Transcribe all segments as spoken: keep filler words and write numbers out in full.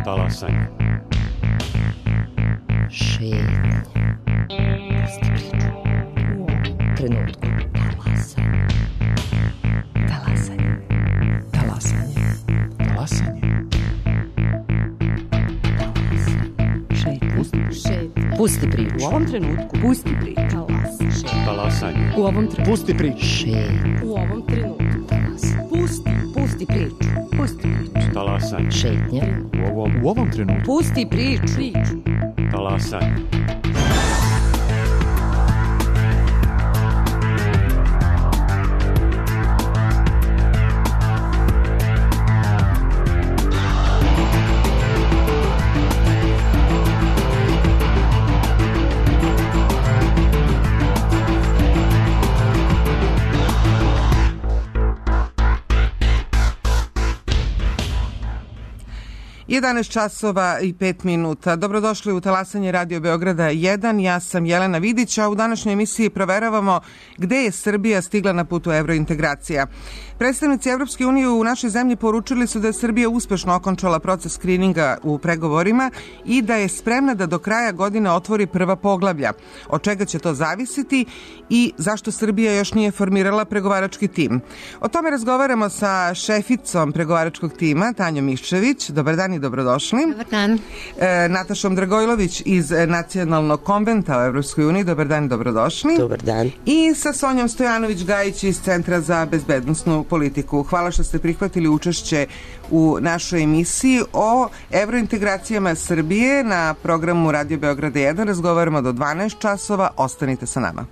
Talasanje. Šetnje. Pusti priču. U ovom trenutku. Talasanje. Talasanje. Talasanje. Talasanje. Šetnje. Pusti priču. U ovom trenutku. Pusti priču. Talasanje. U ovom trenutku. Pusti priču. Šetnje. U ovom trenutku. Pusti. Pusti priču. Pusti priču. Talasanje. Šetnje. U ovom, U ovom trenutku. Pusti priču. Priču. talasanje. jedanaest časova i pet minuta. Dobrodošli u Talasanje Radio Beograda jedan. Ja sam Jelena Vidić, a u današnjoj emisiji proveravamo gde je Srbija stigla na putu evrointegracija. Predstavnici Evropske unije u našoj zemlji poručili su da je Srbija uspešno okončala proces skrininga u pregovorima i da je spremna da do kraja godine otvori prva poglavlja. Od čega će to zavisiti i zašto Srbija još nije formirala pregovarački tim? O tome razgovaramo sa šeficom pregovaračkog tima, Tanjom Miščević. Dobar dan i dobrodošli. Dobar dan. E, Natašom Dragojlović iz Nacionalnog konventa o Evropskoj uniji. Dobar dan i dobrodošli. Dobar dan. I sa Sonjom Stojanović-Gajić iz Centra za bezbednosnu politiku. Hvala što ste prihvatili učešće u našoj emisiji o evrointegracijama Srbije na programu Radio Beograda jedan. Razgovaramo do dvanaest časova. Ostanite sa nama.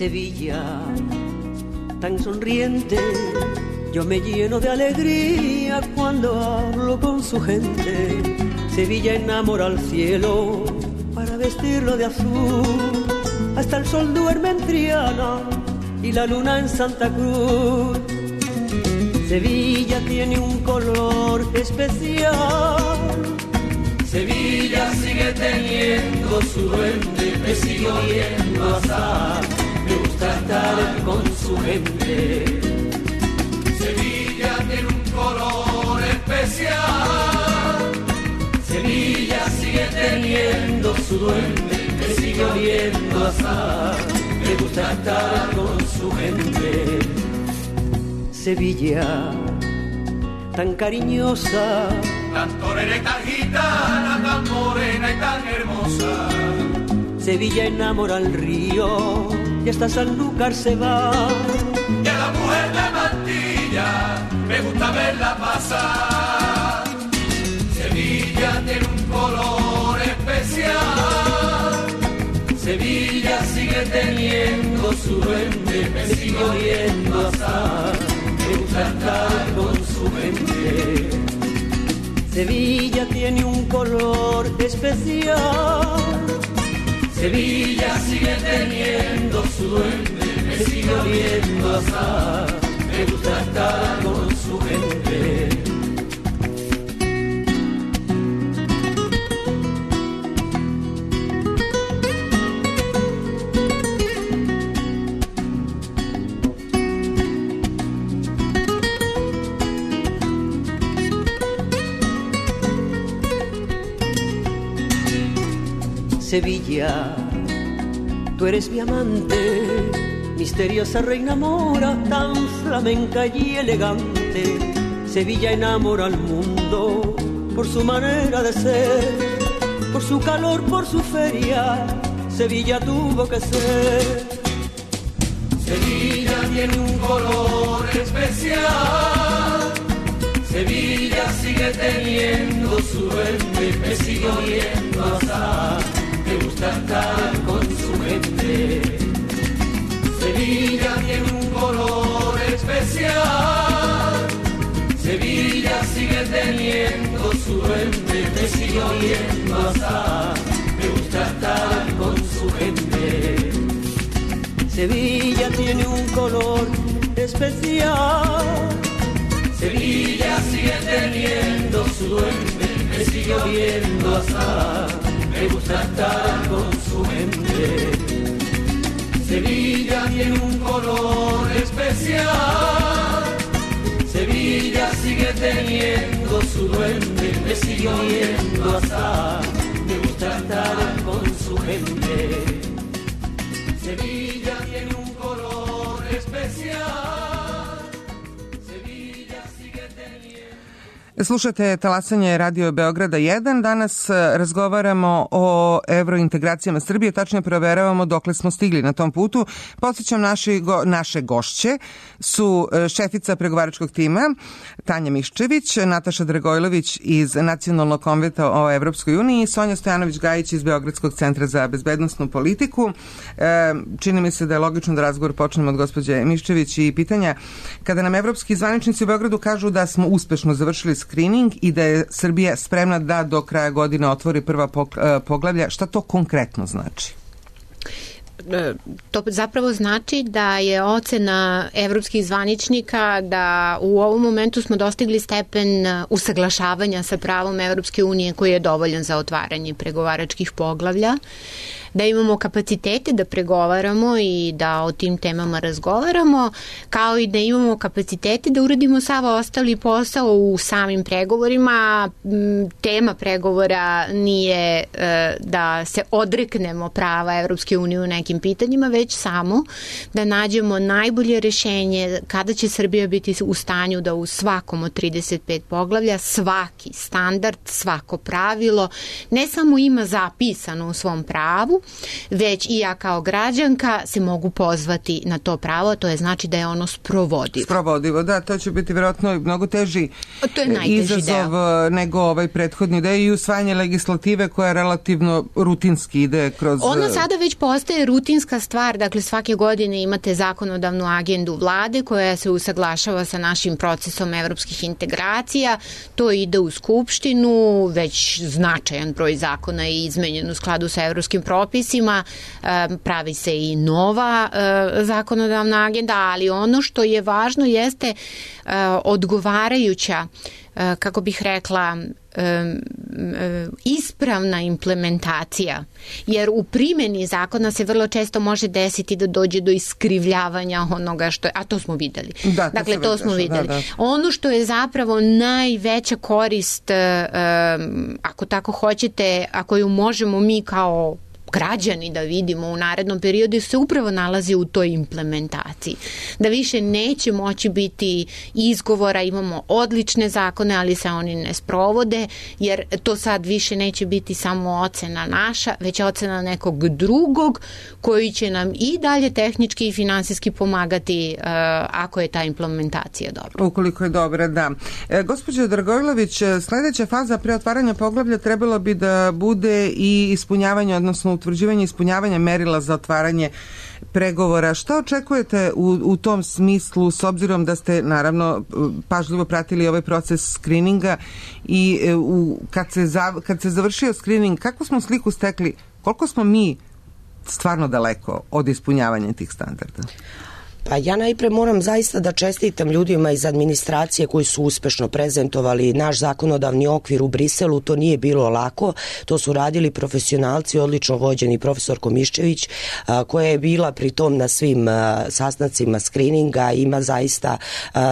Sevilla, tan sonriente, yo me lleno de alegría cuando hablo con su gente. Sevilla enamora al cielo para vestirlo de azul, hasta el sol duerme en Triana y la luna en Santa Cruz. Sevilla tiene un color especial. Sevilla sigue teniendo su duende, me sigo viendo asar. Me gusta estar con su gente. Sevilla tiene un color especial. Sevilla sigue teniendo su duende, me sigue oliendo asar. Me gusta estar con su gente. Sevilla, tan cariñosa, tan torera y tan gitana, tan morena y tan hermosa. Sevilla enamora al río y hasta Sanlúcar se va. Y a la mujer de Mantilla me gusta verla pasar. Sevilla tiene un color especial. Sevilla sigue teniendo su duende, me sigue oyendo asar. Me gusta estar con su gente. Sevilla tiene un color especial. Sevilla sigue teniendo su duende, me sigue oliendo asar. Me gusta estar con su gente. Sevilla, tú eres mi amante, misteriosa reina mora, tan flamenca y elegante. Sevilla enamora al mundo por su manera de ser, por su calor, por su feria. Sevilla tuvo que ser. Sevilla tiene un color especial. Sevilla sigue teniendo su duende, me sigue oyendo asar. Me gusta estar con su gente. Sevilla tiene un color especial. Sevilla sigue teniendo su duende, me sigue oyendo asar. Me gusta estar con su gente. Sevilla tiene un color especial. especial. Sevilla sigue teniendo su duende, me sigue oliendo azar, me gusta estar con su gente. Sevilla tiene un color especial. Sevilla sigue teniendo su duende, me sigue oliendo azar, me gusta estar con su gente. Sevilla tiene un color especial. Slušate talasanje Radio Beograda jedan. Danas razgovaramo o evrointegracijama Srbije, tačnije proveravamo dokle smo stigli na tom putu. Podsjećam, naši go, naše gošće su šefica pregovaračkog tima Tanja Miščević, Nataša Dragojlović iz Nacionalnog konventa o Evropskoj uniji i Sonja Stojanović-Gajić iz Beogradskog centra za bezbednosnu politiku. E, čini mi se da je logično da razgovor počnemo od gospođe Miščević i pitanja kada nam evropski zvaničnici u Beogradu kažu da smo uspešno završili screening i da je Srbija spremna da do kraja godine otvori prva poglavlja. Šta to konkretno znači? To zapravo znači da je ocena evropskih zvaničnika da u ovom momentu smo dostigli stepen usaglašavanja sa pravom Evropske unije koji je dovoljan za otvaranje pregovaračkih poglavlja, da imamo kapacitete da pregovaramo i da o tim temama razgovaramo, kao i da imamo kapacitete da uradimo sav ostali posao u samim pregovorima. Tema pregovora nije da se odreknemo prava Evropske unije u nekim pitanjima, već samo da nađemo najbolje rešenje kada će Srbija biti u stanju da u svakom od trideset pet poglavlja svaki standard, svako pravilo ne samo ima zapisano u svom pravu, već i ja kao građanka se mogu pozvati na to pravo, to je znači da je ono sprovodivo. Sprovodivo, da, to će biti vjerojatno mnogo teži izazov deo. nego ovaj prethodni deo i usvajanje legislative koja relativno rutinski ide kroz... Ona sada već postaje rutinska stvar, dakle svake godine imate zakonodavnu agendu vlade koja se usaglašava sa našim procesom evropskih integracija, to ide u Skupštinu, već značajan broj zakona je izmenjen u skladu sa evropskim propisima, pravi se i nova zakonodavna agenda, ali ono što je važno jeste odgovarajuća, kako bih rekla, ispravna implementacija, jer u primjeni zakona se vrlo često može desiti da dođe do iskrivljavanja onoga što je, a to smo videli. Da, to dakle, to smo da, videli. Da, da. Ono što je zapravo najveća korist, ako tako hoćete, ako ju možemo mi kao građani da vidimo u narednom periodu, se upravo nalazi u toj implementaciji. Da više neće moći biti izgovora, imamo odlične zakone, ali se oni ne sprovode, jer to sad više neće biti samo ocena naša, već ocena nekog drugog koji će nam i dalje tehnički i finansijski pomagati uh, ako je ta implementacija dobra. Ukoliko je dobra, da. E, gospođo Dragojlović, sledeća faza pre otvaranja poglavlja trebalo bi da bude i ispunjavanje, odnosno utvrđivanje ispunjavanja merila za otvaranje pregovora. Šta očekujete u, u tom smislu, s obzirom da ste naravno pažljivo pratili ovaj proces skrininga i u, kad, se zav, kad se završio skrining, kakvu smo sliku stekli, koliko smo mi stvarno daleko od ispunjavanja tih standarda? Pa ja najpre moram zaista da čestitam ljudima iz administracije koji su uspešno prezentovali naš zakonodavni okvir u Briselu. To nije bilo lako, to su radili profesionalci, odlično vođeni profesor Miščević, koja je bila pritom na svim sastancima skrininga, ima zaista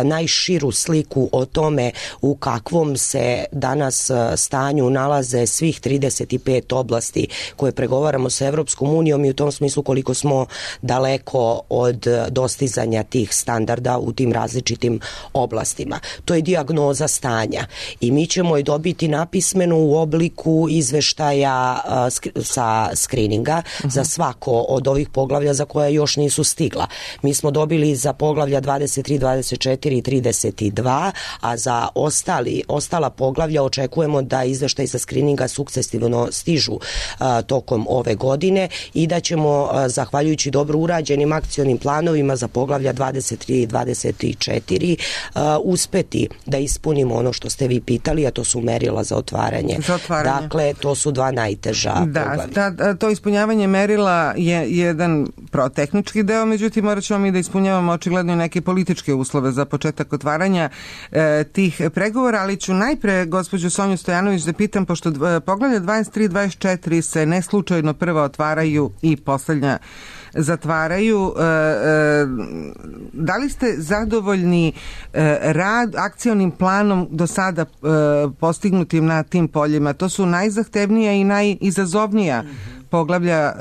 najširu sliku o tome u kakvom se danas stanju nalaze svih trideset pet oblasti koje pregovaramo sa Evropskom unijom i u tom smislu koliko smo daleko od dostizanja tih standarda u tim različitim oblastima. To je dijagnoza stanja i mi ćemo je dobiti napismeno u obliku izveštaja uh, sk- sa skrininga uh-huh. za svako od ovih poglavlja za koja još nisu stigla. Mi smo dobili za poglavlja dvadeset tri, dvadeset četiri i trideset dva, a za ostali, ostala poglavlja očekujemo da izveštaj sa skrininga sukcesivno stižu uh, tokom ove godine i da ćemo, uh, zahvaljujući dobro urađenim akcionim planovima za poglavlja dvadeset tri i dvadeset četiri uh, uspeti da ispunimo ono što ste vi pitali, a to su merila za otvaranje. Za otvaranje. Dakle, to su dva najteža da, poglavlja. Da, to ispunjavanje merila je jedan protehnički deo, međutim morat ćemo mi da ispunjavamo očigledno i neke političke uslove za početak otvaranja e, tih pregovora, ali ću najpre gospođu Sonju Stojanović da pitam, pošto e, poglavlja dvadeset tri dvadeset četiri se neslučajno prva otvaraju i poslednja zatvaraju. E, e, da li ste zadovoljni e, rad, akcionim planom do sada e, postignutim na tim poljima? To su najzahtevnija i najizazovnija poglavlja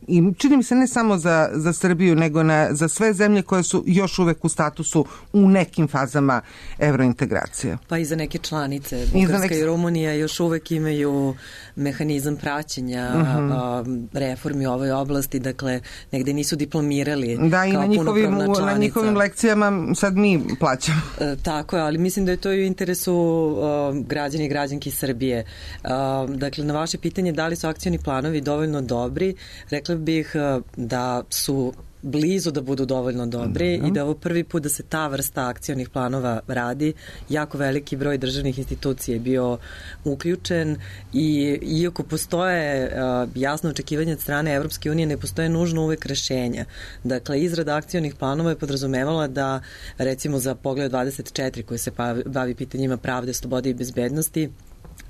i čini mi se ne samo za, za Srbiju, nego na, za sve zemlje koje su još uvek u statusu u nekim fazama evrointegracija. Pa i za neke članice. Bugarska i, neke... i Rumunija još uvek imaju mehanizam praćenja uh-huh. a, reformi u ovoj oblasti, dakle negde nisu diplomirali da, i kao na njihovim, na njihovim lekcijama sad mi plaćamo. E, tako je, ali mislim da je to i u interesu a, građana i građanki Srbije. A, dakle, na vaše pitanje da li su akcioni planovi dovoljno dobri, rekla bih da su blizu da budu dovoljno dobri mm-hmm. i da je ovo prvi put da se ta vrsta akcionih planova radi. Jako veliki broj državnih institucija je bio uključen i iako postoje uh, jasno očekivanje od strane Evropske unije, ne postoje nužno uvek rešenja. Dakle, izrada akcionih planova je podrazumevala da recimo za pogled dvadeset četiri koji se bavi pitanjima pravde, slobode i bezbednosti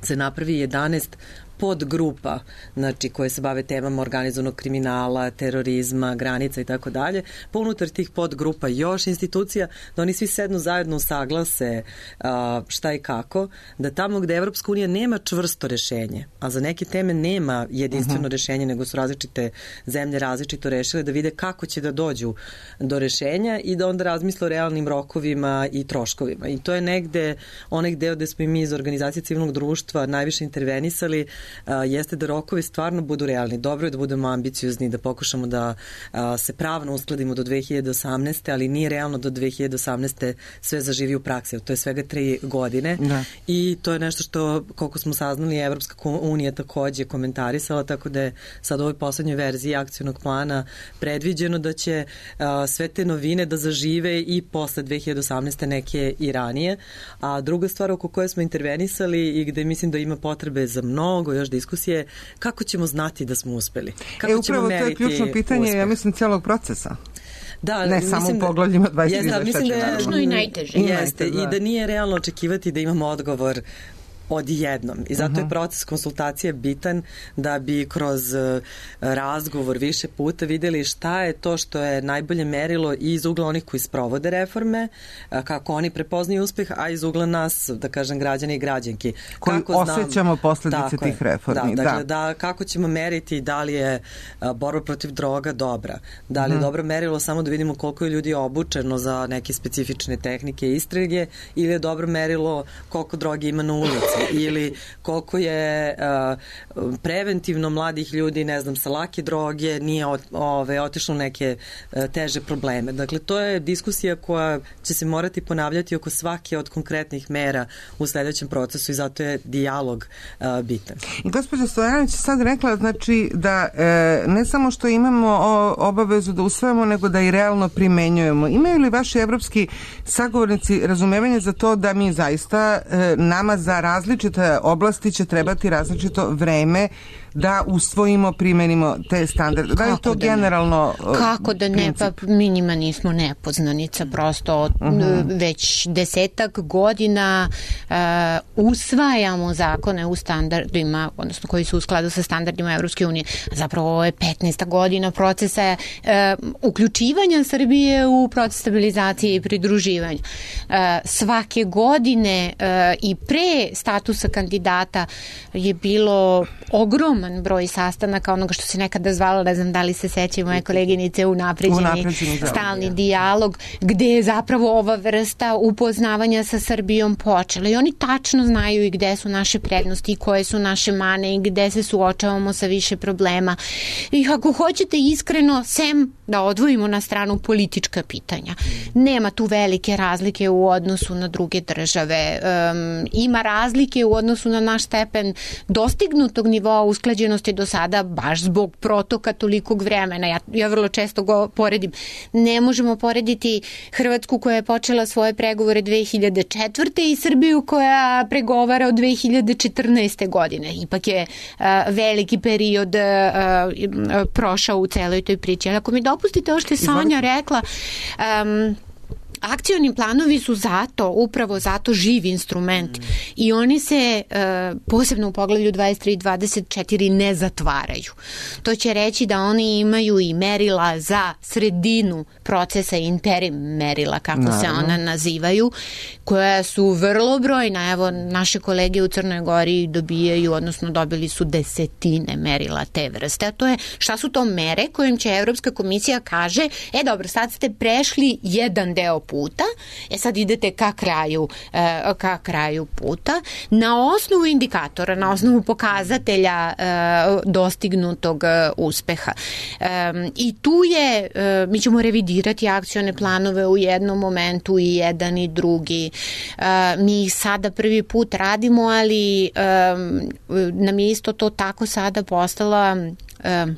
se napravi jedanaest podgrupa, znači koje se bave temama organizovanog kriminala, terorizma, granica i tako dalje. Pa unutar tih podgrupa još institucija, da oni svi sednu zajedno usaglase uh, šta i kako, da tamo gde Evropska unija nema čvrsto rešenje, a za neke teme nema jedinstveno uh-huh. rešenje, nego su različite zemlje različito rešile, da vide kako će da dođu do rešenja i da onda razmisle o realnim rokovima i troškovima. I to je negde onaj deo gde smo i mi iz organizacije civilnog društva najviše intervenisali, Uh, jeste da rokovi stvarno budu realni. Dobro je da budemo ambiciozni, da pokušamo da uh, se pravno uskladimo do dve hiljade osamnaeste, ali nije realno do dve hiljade osamnaeste sve zaživi u praksi. To je svega tri godine da. I to je nešto što, koliko smo saznali, Evropska unija takođe komentarisala, tako da je sad u ovoj poslednjoj verziji akcionog plana predviđeno da će uh, sve te novine da zažive i posle dve hiljade osamnaeste, neke i ranije. A druga stvar oko koje smo intervenisali i gde mislim da ima potrebe za mnogo još diskusije, kako ćemo znati da smo uspeli? Kako e, upravo to je ključno pitanje, uspeh? Ja mislim, celog procesa. Da, ne samo u poglavljima dvadeset tri dvadeset četiri. Da je i najteže. Jeste, da. I da nije realno očekivati da imamo odgovor odjednom. I zato uh-huh. je proces konsultacije bitan da bi kroz uh, razgovor više puta videli šta je to što je najbolje merilo i iz ugla onih koji sprovode reforme, uh, kako oni prepoznaju uspeh, a iz ugla nas, da kažem, građane i građanki. Koji kako osjećamo posledice tih je. reformi. Da, dakle, da. da, kako ćemo meriti da li je uh, borba protiv droga dobra, da li je uh-huh. dobro merilo samo da vidimo koliko je ljudi obučeno za neke specifične tehnike i istrage, ili je dobro merilo koliko droge ima na ulici, ili koliko je uh, preventivno mladih ljudi, ne znam, sa lake droge nije ot, ove, otišlo neke uh, teže probleme. Dakle, to je diskusija koja će se morati ponavljati oko svake od konkretnih mera u sledećem procesu i zato je dijalog uh, bitan. I gospođa Stojanović sad rekla, znači, da e, ne samo što imamo o, obavezu da usvojamo, nego da i realno primenjujemo. Imaju li vaši evropski sagovornici razumevanje za to da mi zaista e, nama za različite oblasti će trebati različito vreme da usvojimo, primenimo te standarde? Da je to da generalno ne? Kako da ne? Pa mi njima nismo nepoznanica, prosto uh-huh. već desetak godina uh, usvajamo zakone u standardima, odnosno koji su u skladu sa standardima Evropske unije. Zapravo ovo je petnaesta godina procesa uh, uključivanja Srbije u proces stabilizacije i pridruživanja. Uh, svake godine uh, i pre statusa kandidata je bilo ogrom broj sastanaka, onoga što se nekada zvalo, ne znam da li se sećaju moje koleginice, unapređeni stalni ja. dijalog, gde je zapravo ova vrsta upoznavanja sa Srbijom počela. I oni tačno znaju i gde su naše prednosti i koje su naše mane i gde se suočavamo sa više problema. I ako hoćete iskreno, sem da odvojimo na stranu politička pitanja. Nema tu velike razlike u odnosu na druge države. Um, ima razlike u odnosu na naš stepen dostignutog nivoa usklađenja neusklađenosti do sada baš zbog protoka tolikog vremena. Ja, ja vrlo često go poredim. Ne možemo porediti Hrvatsku koja je počela svoje pregovore dve hiljade četvrte i Srbiju koja pregovara od dve hiljade četrnaeste. godine. Ipak je uh, veliki period uh, uh, prošao u celoj toj priči. Ali ako mi dopustite ovo što je Sonja rekla, um, akcioni planovi su zato, upravo zato živ instrument mm. i oni se uh, posebno u poglavlju dvadeset tri i dvadeset četiri ne zatvaraju. To će reći da oni imaju i merila za sredinu procesa, interim merila, kako Naravno. se ona nazivaju, koja su vrlo brojna. Evo, naše kolege u Crnoj Gori dobijaju, odnosno dobili su desetine merila te vrste. A to je, šta su to mere kojim će Evropska komisija kaže, e dobro, sad ste prešli jedan deo puta, e sad idete ka kraju, ka kraju puta, na osnovu indikatora, na osnovu pokazatelja dostignutog uspeha. I tu je, mi ćemo revidirati akcione planove u jednom momentu i jedan i drugi. Mi ih sada prvi put radimo, ali nam je isto to tako sada postala,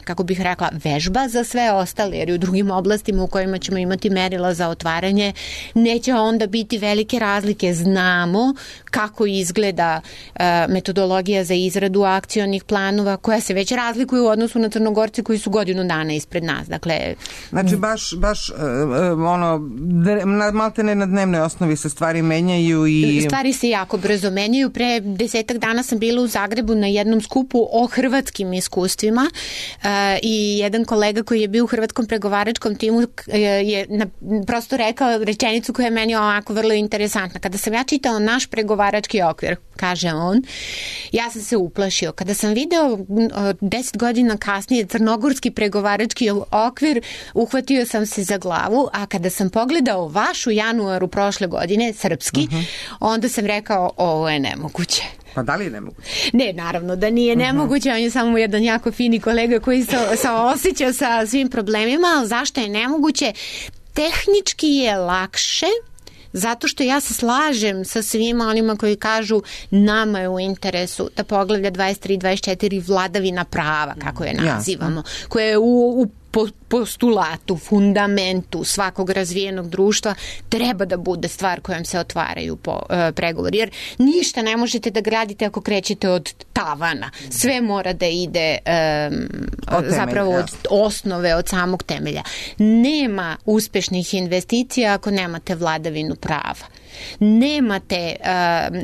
kako bih rekla, vežba za sve ostale, jer u drugim oblastima u kojima ćemo imati merila za otvaranje neće onda biti velike razlike. Znamo kako izgleda metodologija za izradu akcionih planova, koja se već razlikuju u odnosu na Crnogorce koji su godinu dana ispred nas. Dakle, znači baš, baš ono, malte ne na dnevnoj osnovi se stvari menjaju i... Stvari se jako brzo menjaju. Pre desetak dana sam bila u Zagrebu na jednom skupu o hrvatskim iskustvima Uh, i jedan kolega koji je bio u hrvatskom pregovaračkom timu uh, je na, prosto rekao rečenicu koja je meni ovako vrlo interesantna. Kada sam ja čitao naš pregovarački okvir, kaže on, ja sam se uplašio. Kada sam video uh, deset godina kasnije crnogorski pregovarački okvir, uhvatio sam se za glavu, a kada sam pogledao vaš u januaru prošle godine, srpski, uh-huh. onda sam rekao, ovo je nemoguće. Pa da li je nemoguće? Ne, naravno da nije nemoguće, on je samo jedan jako fini kolega koji se, se osjeća sa svim problemima, ali zašto je nemoguće? Tehnički je lakše, zato što ja se slažem sa svima onima koji kažu nama je u interesu da poglavlja dvadeset tri i dvadeset četiri vladavina prava, kako je nazivamo, koje je u, u postulatu, fundamentu svakog razvijenog društva treba da bude stvar kojom se otvaraju po, e, pregovori. Jer ništa ne možete da gradite ako krećete od tavana. Sve mora da ide e, od zapravo temelja. Od osnove, od samog temelja. Nema uspešnih investicija ako nemate vladavinu prava. Nemate uh,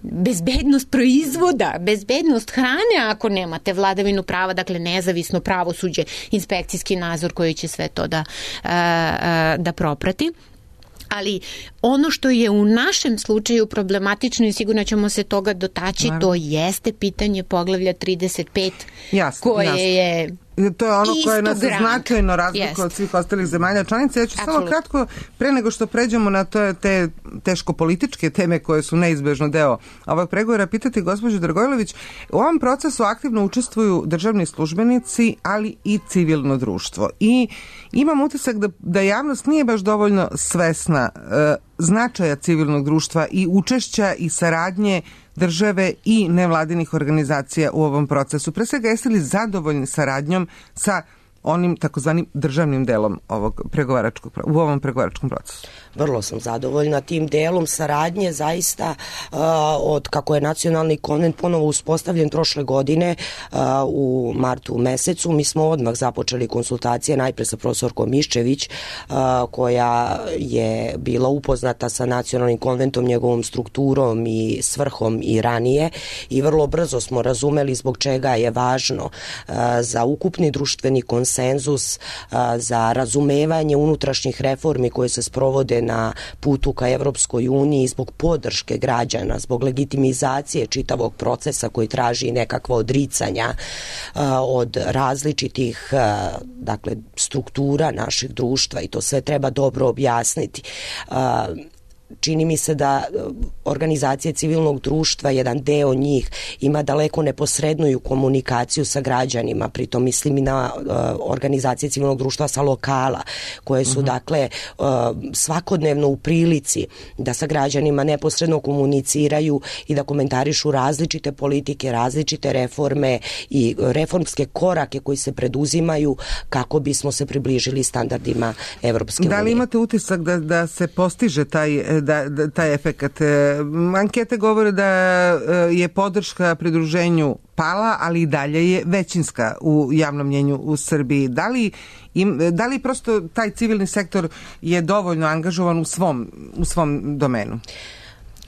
bezbednost proizvoda, bezbednost hrane ako nemate vladavinu prava, dakle nezavisno pravosuđe, inspekcijski nadzor koji će sve to da, uh, uh, da proprati. Ali ono što je u našem slučaju problematično i sigurno ćemo se toga dotaći, Naravno. to jeste pitanje poglavlja trideset pet jasno, koje jasno. je to je ono koje nas značajno razlikuje od svih ostalih zemalja članica. Ja ću Absolut. samo kratko, pre nego što pređemo na to, te teško političke teme koje su neizbežno deo ovog pregovora, pitati gospođu Dragojlović, u ovom procesu aktivno učestvuju državni službenici, ali i civilno društvo. I imam utisak da, da javnost nije baš dovoljno svesna e, značaja civilnog društva i učešća i saradnje države i nevladinih organizacija u ovom procesu. Pre svega, jeste li zadovoljni saradnjom sa onim takozvanim državnim delom ovog pregovaračkog, u ovom pregovaračkom procesu? Vrlo sam zadovoljna tim delom saradnje, zaista uh, od kako je nacionalni konvent ponovo uspostavljen prošle godine uh, u martu mesecu, mi smo odmah započeli konsultacije najpre sa profesorkom Miščević uh, koja je bila upoznata sa nacionalnim konventom, njegovom strukturom i svrhom i ranije i vrlo brzo smo razumeli zbog čega je važno uh, za ukupni društveni konsenzus, uh, za razumevanje unutrašnjih reformi koje se sprovode na putu ka Evropskoj uniji, zbog podrške građana, zbog legitimizacije čitavog procesa koji traži nekakva odricanja uh, od različitih uh, dakle, struktura naših društva i to sve treba dobro objasniti. Uh, čini mi se da organizacije civilnog društva, jedan deo njih ima daleko neposredniju komunikaciju sa građanima, pritom mislim i na uh, organizacije civilnog društva sa lokala, koje su uh-huh. dakle uh, svakodnevno u prilici da sa građanima neposredno komuniciraju i da komentarišu različite politike, različite reforme i reformske korake koji se preduzimaju kako bismo se približili standardima Evropske unije. Da li imate utisak da, da se postiže taj, da, da, taj efekat? Ankete govore da je podrška pridruženju pala, ali i dalje je većinska u javnom mnjenju u Srbiji. Da li, im, da li prosto taj civilni sektor je dovoljno angažovan u svom, u svom domenu?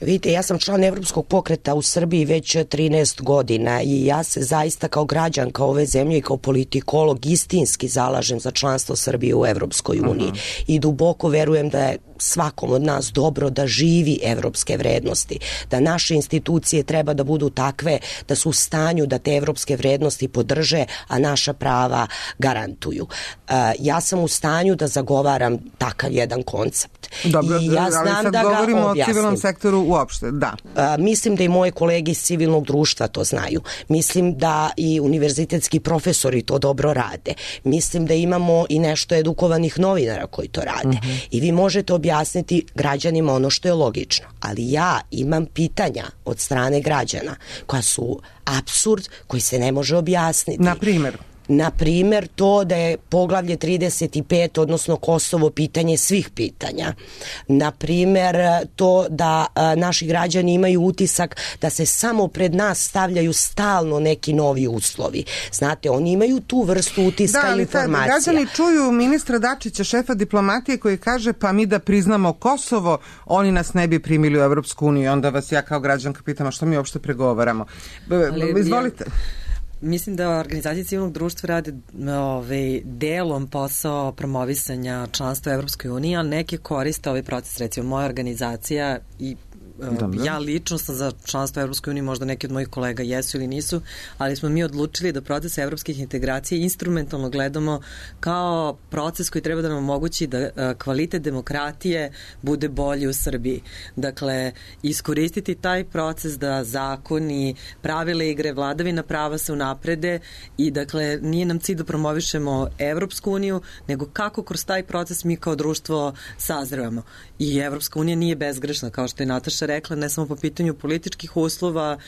Vidite, ja sam član Evropskog pokreta u Srbiji već trinaest godina i ja se zaista kao građanka ove zemlje i kao politikolog istinski zalažem za članstvo Srbije u Evropskoj uniji uh-huh. i duboko verujem da je svakom od nas dobro da živi evropske vrednosti, da naše institucije treba da budu takve da su u stanju da te evropske vrednosti podrže, a naša prava garantuju. Uh, ja sam u stanju da zagovaram takav jedan koncept. Dobro, I ja znam ali sad da govorimo ga o civilnom sektoru uopšte, da. Uh, mislim da i moje kolege iz civilnog društva to znaju. Mislim da i univerzitetski profesori to dobro rade. Mislim da imamo i nešto edukovanih novinara koji to rade. Uh-huh. I vi možete objasniti građanima ono što je logično. Ali ja imam pitanja od strane građana koja su apsurd koji se ne može objasniti. Na primjer? Na primjer, to da je poglavlje trideset pet, odnosno Kosovo, pitanje svih pitanja. Na primjer, to da a, naši građani imaju utisak da se samo pred nas stavljaju stalno neki novi uslovi. Znate, oni imaju tu vrstu utiska da, i informacija. Da, građani čuju ministra Dačića, šefa diplomatije, koji kaže pa mi da priznamo Kosovo, oni nas ne bi primili u Evropsku uniju. Onda vas ja kao građanka pitam, a što mi uopšte pregovaramo? Ali, izvolite. Ja... Mislim da organizacije civilnog društva rade ovaj, delom posao promovisanja članstva u Evropskoj uniji, a neke koriste ovaj proces. Recimo, moja organizacija i Dobre. Ja lično sam za članstvo u Evropskoj uniji, možda neki od mojih kolega jesu ili nisu, ali smo mi odlučili da proces evropskih integracija instrumentalno gledamo kao proces koji treba da nam omogući da kvalitet demokratije bude bolji u Srbiji. Dakle, iskoristiti taj proces da zakoni, pravile igre, vladavina prava se unaprede i dakle nije nam cilj da promovišemo Evropsku uniju, nego kako kroz taj proces mi kao društvo sazrevamo. I Evropska unija nije bezgrešna, kao što je Nataša rekla, ne samo po pitanju političkih uslova,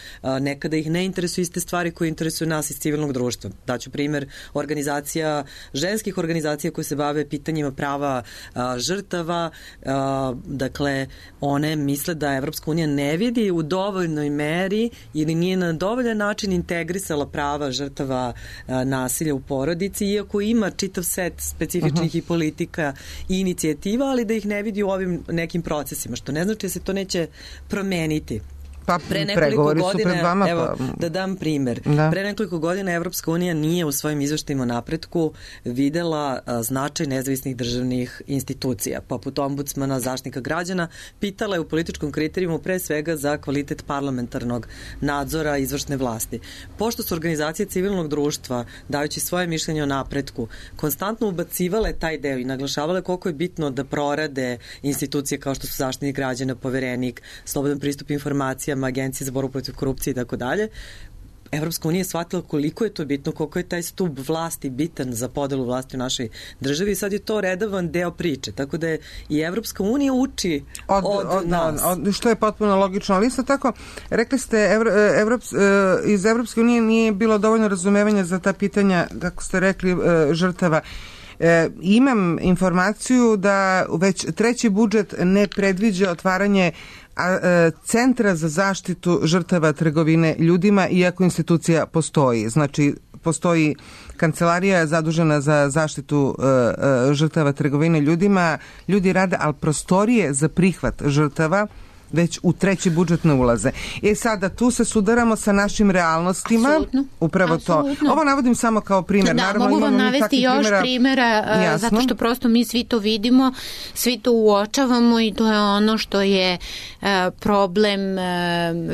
nekada ih ne interesuju iste stvari koje interesuju nas iz civilnog društva. Daću primjer organizacija, ženskih organizacija koje se bave pitanjima prava a, žrtava, a, dakle, one misle da Evropska unija ne vidi u dovoljnoj meri ili nije na dovoljan način integrisala prava žrtava a, nasilja u porodici, iako ima čitav set specifičnih uh-huh. i politika i inicijativa, ali da ih ne vidi u ovim nekim procesima, što ne znači da se to neće promeniti. Pa pre pregovori su pred vama. Evo, pa... da dam primer. Da. Pre nekoliko godina Evropska unija nije u svojim izveštajima o napretku videla a, značaj nezavisnih državnih institucija, poput ombudsmana, zaštitnika građana, pitala je u političkom kriterijumu pre svega za kvalitet parlamentarnog nadzora izvršne vlasti. Pošto su organizacije civilnog društva, dajući svoje mišljenje o napretku, konstantno ubacivale taj deo i naglašavale koliko je bitno da prorade institucije kao što su zaštitnik građana, poverenik, slobodan pristup informacijama, Agencije za borbu protiv korupcije i tako dalje, Evropska unija je shvatila koliko je to bitno, koliko je taj stub vlasti bitan za podelu vlasti u našoj državi i sad je to redovan deo priče, tako da je i Evropska unija uči od, od, od nas. Od, što je potpuno logično, ali isto tako, rekli ste, Evro, Evrop, iz Evropske unije nije bilo dovoljno razumevanja za ta pitanja, kako ste rekli, žrtava. E, imam informaciju da već treći budžet ne predviđa otvaranje a, e, centra za zaštitu žrtava trgovine ljudima, iako institucija postoji. Znači, postoji kancelarija zadužena za zaštitu e, e, žrtava trgovine ljudima, ljudi rade, ali prostorije za prihvat žrtava već u treći budžet ne ulaze. E sada, tu se sudaramo sa našim realnostima. Apsolutno. Upravo Apsolutno. to. Ovo navodim samo kao primjer. Da, Naravno, mogu vam navesti još primjera, primjera, jasno. zato što prosto mi svi to vidimo, svi to uočavamo i to je ono što je problem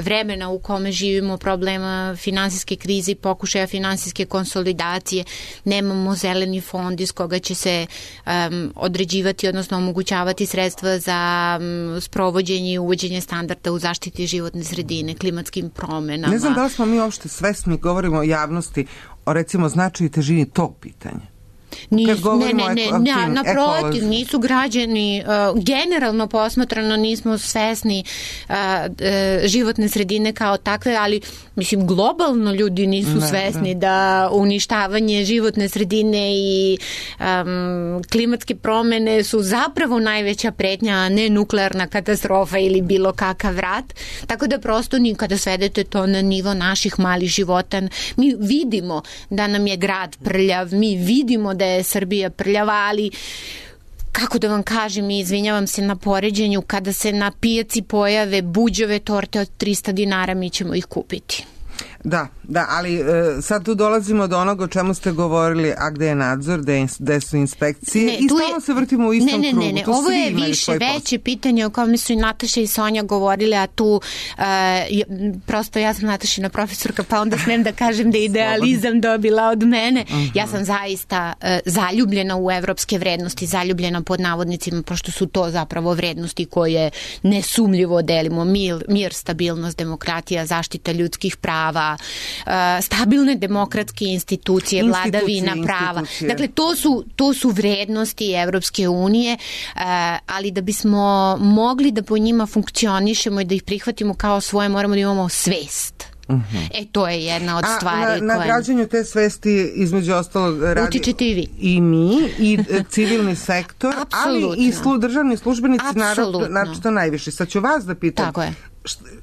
vremena u kome živimo, problema finansijske krize i pokušaja finansijske konsolidacije. Nemamo zeleni fond iz koga će se um, određivati, odnosno omogućavati sredstva za um, sprovođenje i uvođenje standarda u zaštiti životne sredine, klimatskim promenama. Ne znam da li smo mi uopšte svesni, govorimo o javnosti, o recimo značaju i težini tog pitanja. Nis, ne, ne, ne, ne, naprotiv, nisu građani, uh, generalno posmatrano nismo svesni uh, uh, životne sredine kao takve, ali mislim globalno ljudi nisu ne, svesni ne. da uništavanje životne sredine i um, klimatske promene su zapravo najveća pretnja, a ne nuklearna katastrofa ili bilo kakav rat. Tako da prosto ni kada svedete to na nivo naših malih života, mi vidimo da nam je grad prljav, mi vidimo da je Srbija prljava, ali kako da vam kažem, i izvinjavam se na poređenju, kada se na pijaci pojave buđove torte od trista dinara, mi ćemo ih kupiti. Da, da, ali e, sad tu dolazimo do onoga o čemu ste govorili, a gde je nadzor, gde, gde su inspekcije, ne, i stalno se vrtimo u istom ne, ne, krugu. Ne, ne, ovo je više veće pitanje o kome su i Nataša i Sonja govorile, a tu uh, prosto ja sam Natašina profesorka, pa onda smem da kažem da je idealizam dobila od mene. Uh-huh. Ja sam zaista uh, zaljubljena u evropske vrednosti, zaljubljena pod navodnicima, pošto su to zapravo vrednosti koje nesumljivo delimo. Mir, mir stabilnost, demokratija, zaštita ljudskih prava, Uh, stabilne demokratske institucije, institucije vladavina prava. Institucije. Dakle, to su, to su vrednosti Evropske unije, uh, ali da bismo mogli da po njima funkcionišemo i da ih prihvatimo kao svoje, moramo da imamo svest. Uh-huh. E, to je jedna od A stvari na, na koje... građanju te svesti između ostalog radi... Utičete i vi. I mi, i civilni sektor, ali i slu, državni službenici, naravno, naravno najviše. Sad ću vas da pitam. Tako je.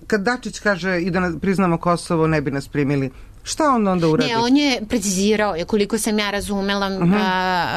Kad Dačić kaže i da priznamo Kosovo, ne bi nas primili, šta on onda uradi? Ne, on je precizirao, koliko sam ja razumela uh-huh. a,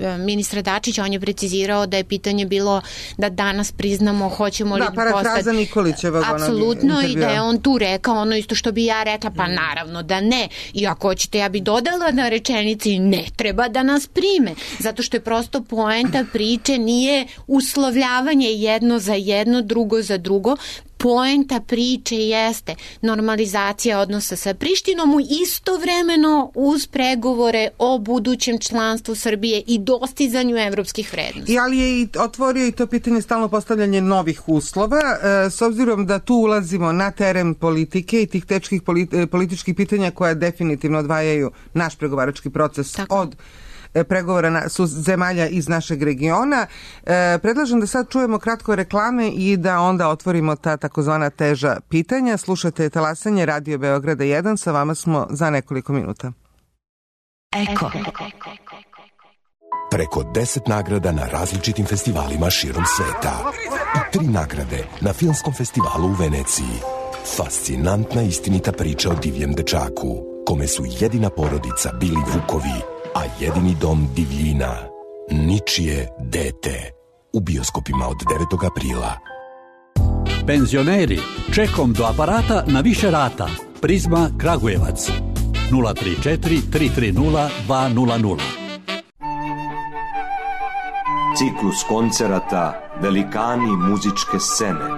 a, ministra Dačića, on je precizirao da je pitanje bilo da danas priznamo hoćemo li da, postati... Da, parafraza Nikolićevog apsolutno, i da je on tu rekao ono isto što bi ja rekla, pa naravno da ne. I ako hoćete, ja bi dodala na rečenici ne treba da nas prime, zato što je prosto poenta priče nije uslovljavanje jedno za jedno, drugo za drugo. Poenta priče jeste normalizacija odnosa sa Prištinom istovremeno uz pregovore o budućem članstvu Srbije i dostizanju evropskih vrednosti. I ali je i otvorio i to pitanje stalno postavljanje novih uslova, e, s obzirom da tu ulazimo na teren politike i tih teških politi- političkih pitanja koja definitivno odvajaju naš pregovarački proces Tako. od pregovora na, su zemalja iz našeg regiona. E, predlažem da sad čujemo kratko reklame i da onda otvorimo ta takozvana teža pitanja. Slušate talasanje Radio Beograda jedan, sa vama smo za nekoliko minuta. Eko. Preko deset nagrada na različitim festivalima širom sveta i tri nagrade na Filmskom festivalu u Veneciji. Fascinantna istinita priča o divljem dečaku, kome su jedina porodica bili vukovi, a jedini dom divljina, ničije dete. U bioskopima od devetog aprila. Penzioneri, čekom do aparata na više rata. Prizma Kragujevac. nula tri četiri tri tri nula dva nula nula. Ciklus koncerata Velikani muzičke scene.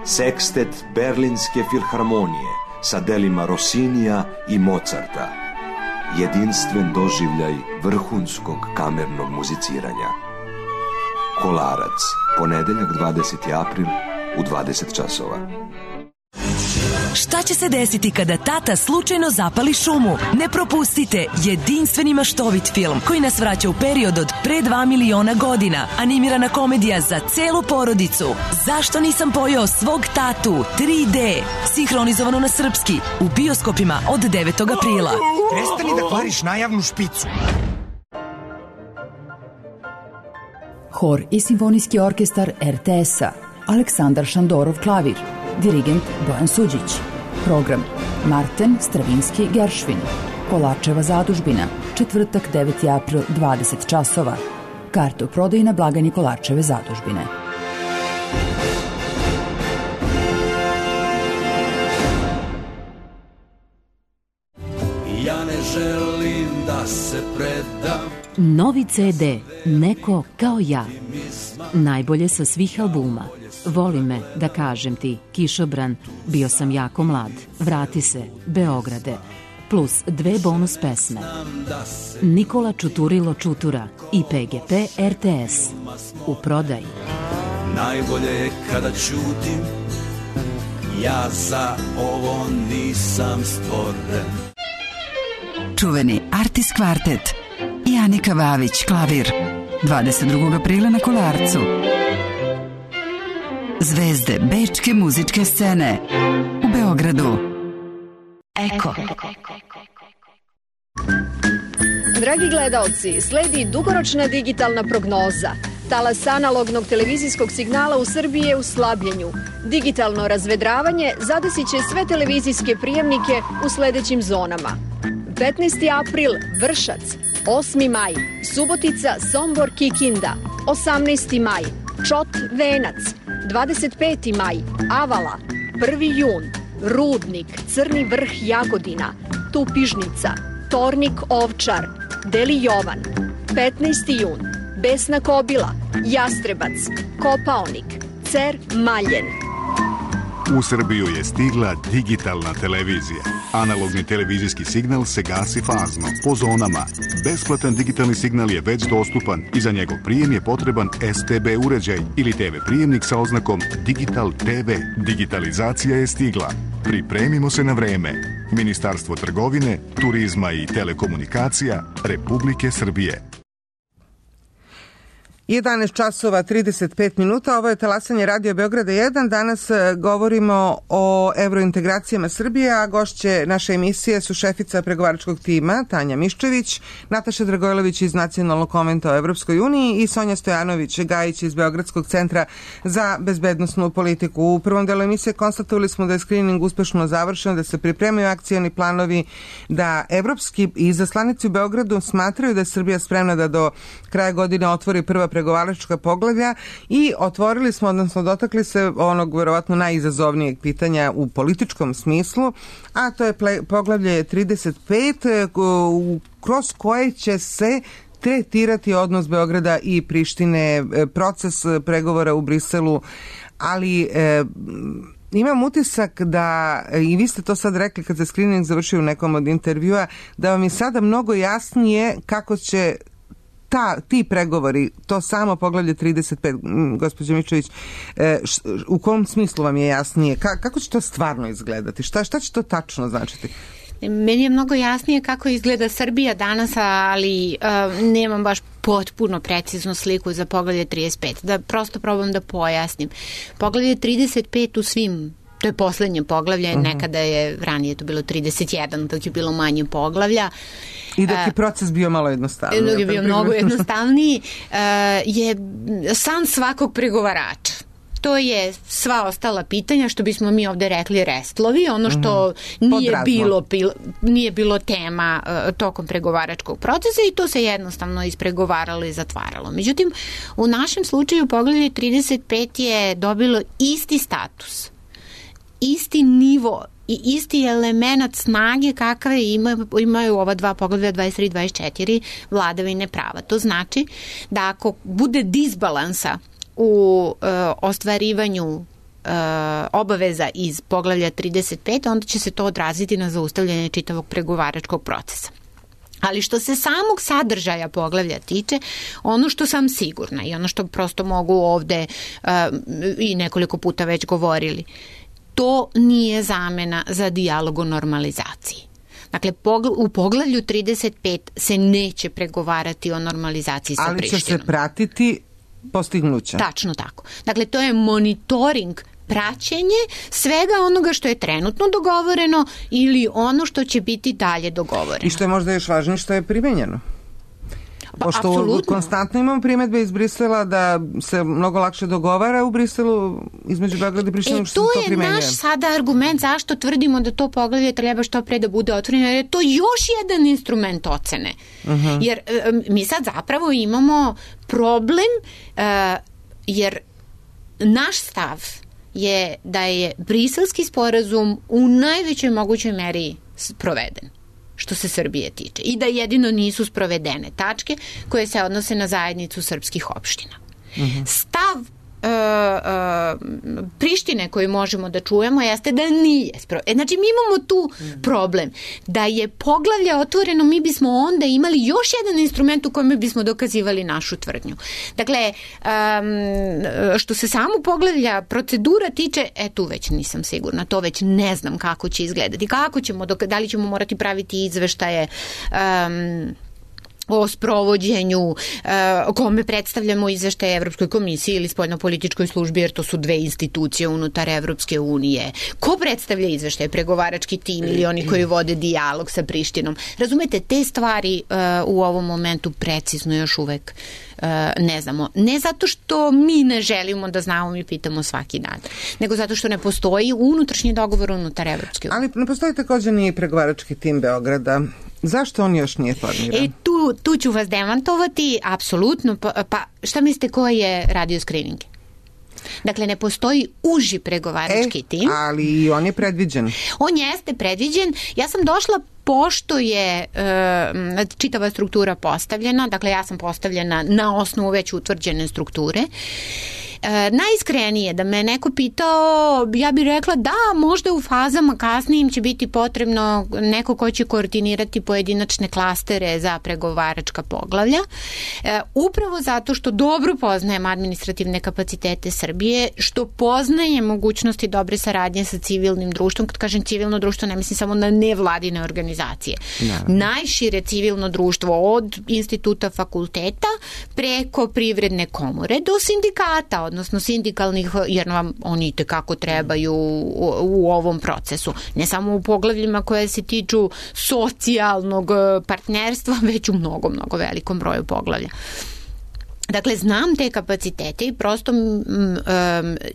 Sekstet Berlinske filharmonije sa delima Rossinija i Mozarta. Jedinstven doživljaj vrhunskog kamernog muziciranja. Kolarac, ponedeljak dvadeseti april u dvadeset časova. Šta će se desiti kada tata slučajno zapali šumu? Ne propustite jedinstveni maštovit film koji nas vraća u period od pre dva miliona godina. Animirana komedija za celu porodicu. Zašto nisam pojeo svog tatu? tri D. Sinhronizovano na srpski. U bioskopima od devetog aprila. Prestani da kvariš najavnu špicu. Hor i simfonijski orkestar er te es-a. Aleksandar Šandorov klavir. Dirigent Bojan Suđić. Program Marten Stravinski Geršvin. Kolarčeva zadužbina. Četvrtak deveti april dvadeset časova. Karte u prodaji na blagajni Kolarčeve zadužbine. se predam. Novi ce de Neko kao ja. Najbolje sa svih albuma. Voli me, da kažem ti, Kišobran, Bio sam jako mlad, Vrati se, Beograde, plus dve bonus pesme. Nikola Čuturilo Čutura i pe ge pe er te es. U prodaji. Najbolje je kada ćutim, ja za ovo nisam stvoren. Čuveni Artis Kvartet i Anika Vavić, klavir. dvadeset drugog aprila na Kolarcu. Zvezde bečke muzičke scene u Beogradu. Eko. Dragi gledaoci, sledi dugoročna digitalna prognoza. Talas analognog televizijskog signala u Srbiji je u slabljenju. Digitalno razvedravanje zadesit će sve televizijske prijemnike u sledećim zonama. petnaesti april Vršac, osmi maj Subotica, Sombor, Kikinda, osamnaesti maj Čot, Venac, dvadeset peti maj Avala, prvi jun Rudnik, Crni Vrh, Jagodina, Tupižnica, Tornik, Ovčar, Deli Jovan, petnaesti jun Besna Kobila, Jastrebac, Kopaonik, Cer, Maljen. U Srbiju je stigla digitalna televizija. Analogni televizijski signal se gasi fazno, po zonama. Besplatan digitalni signal je već dostupan i za njegov prijem je potreban es te be uređaj ili te ve prijemnik sa oznakom Digital te ve. Digitalizacija je stigla. Pripremimo se na vreme. Ministarstvo trgovine, turizma i telekomunikacija Republike Srbije. jedanaest časova trideset pet minuta, ovo je talasanje Radio Beograda jedan. Danas govorimo o evrointegracijama Srbije, a gošće naše emisije su šefica pregovaračkog tima Tanja Miščević, Nataša Dragojlović iz Nacionalnog konventa o Evropskoj uniji i Sonja Stojanović-Gajić iz Beogradskog centra za bezbednosnu politiku. U prvom delu emisije konstatovali smo da je skrining uspešno završen, da se pripremaju akcioni planovi, da evropski izaslanici u Beogradu smatraju da je Srbija spremna da do kraja godine otvori prva pregovaračka poglavlja i otvorili smo, odnosno dotakli se onog verovatno najizazovnijeg pitanja u političkom smislu, a to je poglavlje trideset pet kroz koje će se tretirati odnos Beograda i Prištine, proces pregovora u Briselu, ali e, imam utisak da, i vi ste to sad rekli kad se screening završio u nekom od intervjua, da vam je sada mnogo jasnije kako će Ta, ti pregovori, to samo poglavlje trideset pet, gospođo Mičević, e, š, u kom smislu vam je jasnije? Ka, kako će to stvarno izgledati? Šta, šta će to tačno značiti? Meni je mnogo jasnije kako izgleda Srbija danas, ali uh, nemam baš potpuno preciznu sliku za poglavlje trideset pet. Da prosto probam da pojasnim. Poglavlje trideset pet u svim, to je poslednje poglavlje, uh-huh. nekada je ranije to bilo trideset jedan, dok je bilo manje poglavlja. I dok je proces bio malo jednostavniji. Dok je bio mnogo jednostavniji, je san svakog pregovarača. To je sva ostala pitanja, što bismo mi ovde rekli restlovi, ono što mm-hmm. nije, bilo, nije bilo tema uh, tokom pregovaračkog procesa i to se jednostavno ispregovaralo i zatvaralo. Međutim, u našem slučaju poglavlje trideset pet je dobilo isti status, isti nivo i isti element snage kakve ima, imaju ova dva poglavlja dvadeset tri i dvadeset četiri vladavine prava. To znači da ako bude disbalansa u e, ostvarivanju e, obaveza iz poglavlja trideset pet, onda će se to odraziti na zaustavljanje čitavog pregovaračkog procesa. Ali što se samog sadržaja poglavlja tiče, ono što sam sigurna i ono što prosto mogu ovde e, i nekoliko puta već govorili, to nije zamena za dijalog o normalizaciji. Dakle, u poglavlju trideset pet se neće pregovarati o normalizaciji sa Ali Prištinom. Ali će se pratiti postignuća. Tačno tako. Dakle, to je monitoring, praćenje svega onoga što je trenutno dogovoreno ili ono što će biti dalje dogovoreno. I što je možda još važnije, što je primenjeno. Pošto Absolutno. konstantno imamo primetbe iz Brisela da se mnogo lakše dogovara u Briselu između Beograda i Prištine, e, što se to primenjuje. To je naš sada argument zašto tvrdimo da to poglavlje treba što pre da bude otvoreno, jer je to još jedan instrument ocene. Uh-huh. Jer mi sad zapravo imamo problem, uh, jer naš stav je da je Briselski sporazum u najvećoj mogućoj meri proveden. što se Srbije tiče i da jedino nisu sprovedene tačke koje se odnose na zajednicu srpskih opština. Mm-hmm. Stav Uh, uh, Prištine koju možemo da čujemo jeste da nije spro... e, znači mi imamo tu problem da je poglavlje otvoreno, mi bismo onda imali još jedan instrument u kojem bismo dokazivali našu tvrdnju. Dakle, um, što se samo poglavlja procedura tiče, e tu već nisam sigurna, to već ne znam kako će izgledati, kako ćemo, dok... da li ćemo morati praviti izveštaje um, o sprovođenju, o kome predstavljamo izveštaje Evropskoj komisiji ili spoljnopolitičkoj službi, jer to su dve institucije unutar Evropske unije. Ko predstavlja izveštaje? Pregovarački tim ili oni koji vode dijalog sa Prištinom? Razumete, te stvari u ovom momentu precizno još uvek ne znamo. Ne zato što mi ne želimo da znamo, mi pitamo svaki dan, nego zato što ne postoji unutrašnji dogovor unutar Evropske unije. Ali ne postoji također ni pregovarački tim Beograda. Zašto on još nije formiran? E, tu, tu ću vas demantovati, apsolutno. Pa, pa šta mislite ko je radio skrininge? Dakle, ne postoji uži pregovarački e, tim. Ali on je predviđen. On jeste predviđen. Ja sam došla pošto je e, čitava struktura postavljena, dakle ja sam postavljena na osnovu već utvrđene strukture. E, najiskrenije da me neko pitao, ja bih rekla da možda u fazama kasnijim će biti potrebno neko ko će koordinirati pojedinačne klastere za pregovaračka poglavlja, e, upravo zato što dobro poznajem administrativne kapacitete Srbije, što poznaje mogućnosti dobre saradnje sa civilnim društvom. Kad kažem civilno društvo, ne mislim samo na nevladine organizacije. Naravno. Najšire civilno društvo od instituta fakulteta preko privredne komore do sindikata, odnosno sindikalnih, jer vam oni tekako trebaju u, u ovom procesu. Ne samo u poglavljima koje se tiču socijalnog partnerstva, već u mnogo, mnogo velikom broju poglavlja. Dakle, znam te kapacitete i prosto um,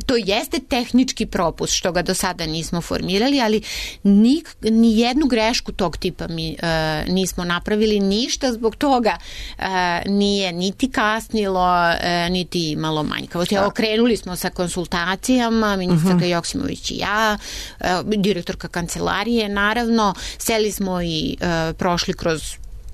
to jeste tehnički propust što ga do sada nismo formirali, ali ni, ni jednu grešku tog tipa mi uh, nismo napravili, ništa zbog toga uh, nije niti kasnilo, uh, niti imalo manjkavosti. Okrenuli smo sa konsultacijama, ministarka uh-huh. Joksimović i ja, uh, direktorka kancelarije, naravno, seli smo i uh, prošli kroz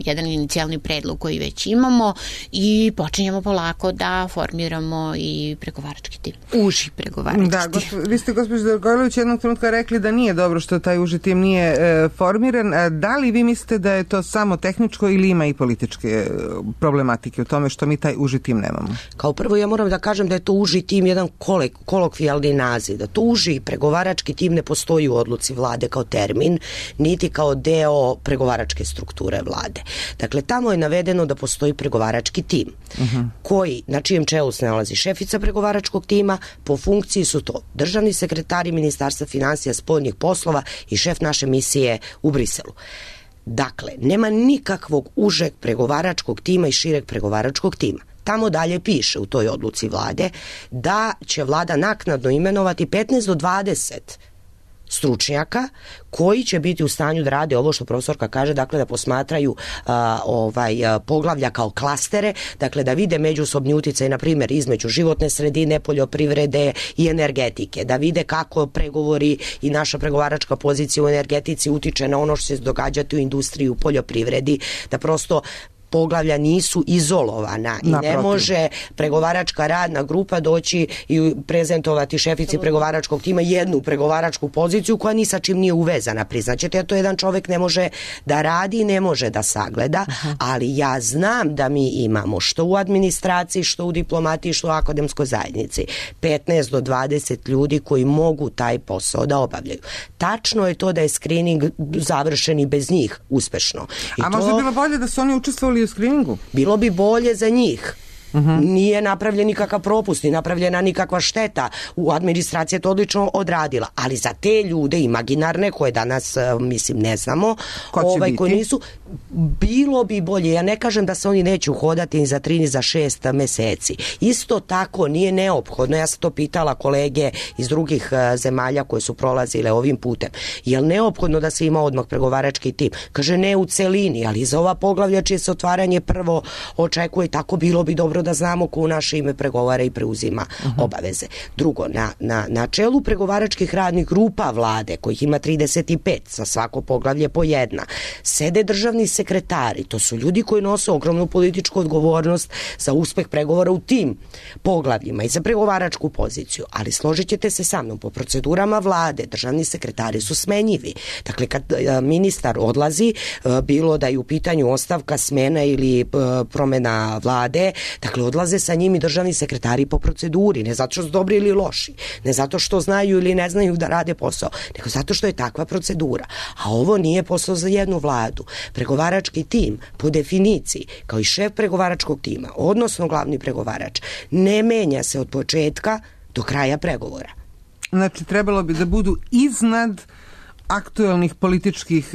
jedan inicijalni predlog koji već imamo i počinjemo polako da formiramo i pregovarački tim. Uži pregovarački da, tim. Gospo, vi ste, gospođo Dorgojlović, jednog trenutka rekli da nije dobro što taj uži tim nije e, formiran. E, da li vi mislite da je to samo tehničko ili ima i političke problematike u tome što mi taj uži tim nemamo? Kao prvo ja moram da kažem da je to uži tim jedan kolek, kolokvijalni naziv. Da to uži pregovarački tim ne postoji u odluci vlade kao termin, niti kao deo pregovaračke strukture vlade. Dakle, tamo je navedeno da postoji pregovarački tim uh-huh. koji, na čijem čelu se nalazi šefica pregovaračkog tima, po funkciji su to državni sekretari Ministarstva finansija, spoljnih poslova i šef naše misije u Briselu. Dakle, nema nikakvog užeg pregovaračkog tima i šireg pregovaračkog tima. Tamo dalje piše u toj odluci vlade da će vlada naknadno imenovati petnaest do dvadeset stručnjaka koji će biti u stanju da rade ovo što profesorka kaže, dakle da posmatraju a, ovaj, a, poglavlja kao klastere, dakle da vide međusobni uticaj, na primjer, između životne sredine, poljoprivrede i energetike, da vide kako pregovori i naša pregovaračka pozicija u energetici utiče na ono što će se događati u industriji, u poljoprivredi, da prosto poglavlja nisu izolovana i Naprotiv. Ne može pregovaračka radna grupa doći i prezentovati šefici pregovaračkog tima jednu pregovaračku poziciju koja ni sa čim nije uvezana. Priznaćete, to jedan čovjek ne može da radi, ne može da sagleda, Aha. ali ja znam da mi imamo što u administraciji, što u diplomatiji, što u akademskoj zajednici petnaest do dvadeset ljudi koji mogu taj posao da obavljaju. Tačno je to da je screening završen i bez njih uspešno. I A to... možda bilo bolje da su oni učestvovali u screeningu? Bilo bi bolje za njih. Uh-huh. Nije napravljen nikakav propust, nije napravljena nikakva šteta. U administraciji je to odlično odradila, ali za te ljude imaginarne koje danas mislim ne znamo, ovaj, koji nisu, bilo bi bolje. Ja ne kažem da se oni neće uhodati ni za tri ni za šest meseci. Isto tako nije neophodno, ja sam to pitala kolege iz drugih zemalja koje su prolazile ovim putem, je li neophodno da se ima odmah pregovarački tim? Kaže ne u celini, ali za ova poglavlja čije se otvaranje prvo očekuje, tako bilo bi dobro dobro da znamo ko u naše ime pregovara i preuzima uh-huh. obaveze. Drugo, na, na, na čelu pregovaračkih radnih grupa vlade, kojih ima trideset pet, za svako poglavlje po jedna, sede državni sekretari, to su ljudi koji nose ogromnu političku odgovornost za uspeh pregovora u tim poglavljima i za pregovaračku poziciju, ali složit ćete se sa mnom, po procedurama vlade državni sekretari su smenjivi. Dakle, kad ministar odlazi, bilo da je u pitanju ostavka, smena ili promena vlade, dakle odlaze sa njim i državni sekretari po proceduri, ne zato što su dobri ili loši, ne zato što znaju ili ne znaju da rade posao, nego zato što je takva procedura. A ovo nije posao za jednu vladu. Pregovarački tim, po definiciji, kao i šef pregovaračkog tima, odnosno glavni pregovarač, ne menja se od početka do kraja pregovora. Znači, trebalo bi da budu iznad aktuelnih političkih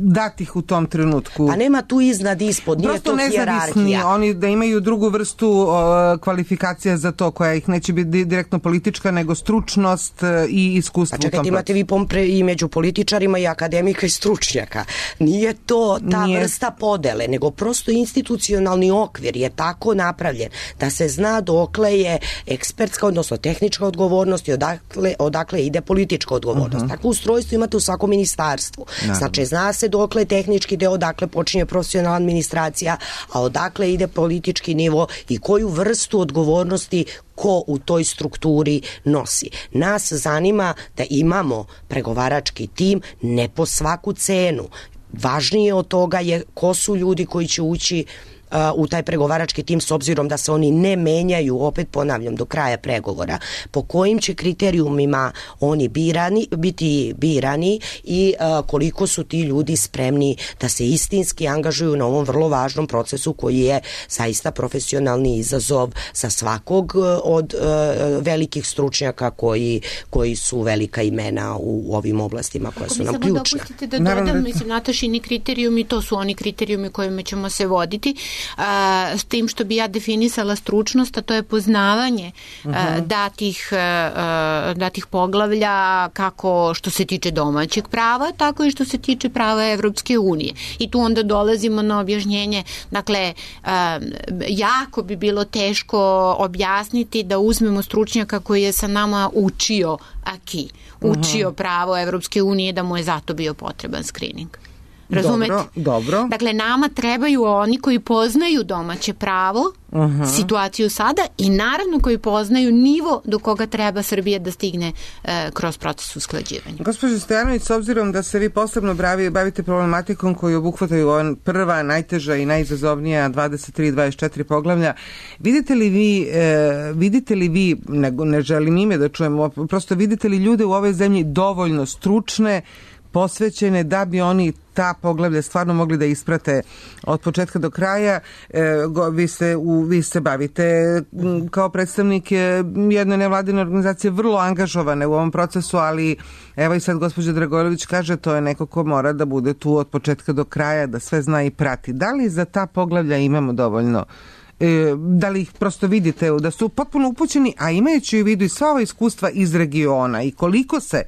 datih u tom trenutku. Pa nema tu iznad ispod, nije prosto to hijerarhija. Oni da imaju drugu vrstu o, kvalifikacija za to, koja ih neće biti direktno politička, nego stručnost i iskustvo. Pa čekajte, imate vi pompre i među političarima i akademika i stručnjaka. Nije to ta nije vrsta podele, nego prosto institucionalni okvir je tako napravljen da se zna dokle je ekspertska, odnosno tehnička odgovornost i odakle, odakle ide politička odgovornost. Uh-huh. Tako ustrojstvo imate u svakom ministarstvu. Naravno. Znači, zna se dokle tehnički deo, odakle počinje profesionalna administracija, a odakle ide politički nivo i koju vrstu odgovornosti ko u toj strukturi nosi. Nas zanima da imamo pregovarački tim, ne po svaku cenu. Važnije od toga je ko su ljudi koji će ući u taj pregovarački tim, s obzirom da se oni ne menjaju, opet ponavljam, do kraja pregovora, po kojim će kriterijumima oni birani, biti birani i uh, koliko su ti ljudi spremni da se istinski angažuju na ovom vrlo važnom procesu koji je zaista profesionalni izazov za svakog od uh, velikih stručnjaka koji, koji su velika imena u ovim oblastima koja su nam ključna. Ako mi samo dopustite da dodam, Naravno. mislim, Natašini kriterijumi, to su oni kriterijumi kojima ćemo se voditi. A, s tim što bi ja definisala stručnost, a to je poznavanje uh-huh. a, datih, a, datih poglavlja, kako što se tiče domaćeg prava, tako i što se tiče prava Evropske unije. I tu onda dolazimo na objašnjenje, dakle, a, jako bi bilo teško objasniti da uzmemo stručnjaka koji je sa nama učio aki, učio uh-huh. pravo Evropske unije, da mu je zato bio potreban screening. Razumete? Dobro, dobro. Dakle, nama trebaju oni koji poznaju domaće pravo, uh-huh. situaciju sada i naravno koji poznaju nivo do koga treba Srbija da stigne e, kroz proces usklađivanja. Gospođo Stojanović, s obzirom da se vi posebno bravi, bavite problematikom koju obuhvataju ova prva, najteža i najizazovnija dvadeset tri dvadeset četiri poglavlja, vidite li vi, e, vidite li vi, ne, ne želim ime da čujemo, prosto vidite li ljude u ovoj zemlji dovoljno stručne, posvećene da bi oni ta poglavlja stvarno mogli da isprate od početka do kraja. E, go, vi, se, u, vi se bavite m, kao predstavnik jedne nevladine organizacije vrlo angažovane u ovom procesu, ali evo i sad gospođa Dragojlović kaže to je neko ko mora da bude tu od početka do kraja, da sve zna i prati. Da li za ta poglavlja imamo dovoljno? E, da li ih prosto vidite da su potpuno upućeni, a imajući u vidu i sva ova iskustva iz regiona i koliko se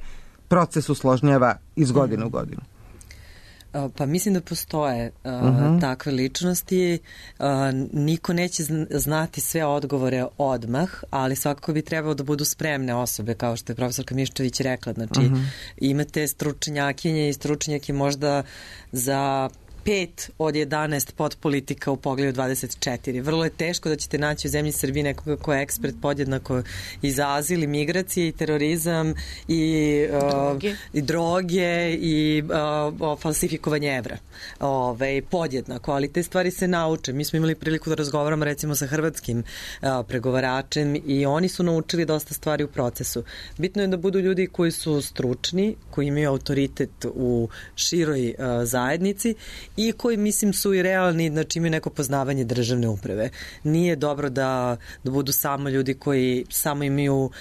proces usložnjava iz godine u godinu? Pa mislim da postoje uh, uh-huh. takve ličnosti. Uh, niko neće znati sve odgovore odmah, ali svakako bi trebalo da budu spremne osobe, kao što je profesorka Miščević rekla. Znači, uh-huh. imate stručnjakinje i stručnjake možda za pet od jedanaest podpolitika u poglavlju dvadeset četiri. Vrlo je teško da ćete naći u zemlji Srbiji nekoga ko je ekspert podjednako i za azil, i migracije, i terorizam, i droge, uh, i, droge, i uh, falsifikovanje evra. Ove, podjednako, ali te stvari se nauče. Mi smo imali priliku da razgovaramo recimo sa hrvatskim uh, pregovaračem i oni su naučili dosta stvari u procesu. Bitno je da budu ljudi koji su stručni, koji imaju autoritet u široj uh, zajednici i koji, mislim, su i realni, znači imaju neko poznavanje državne uprave. Nije dobro da, da budu samo ljudi koji samo imaju uh,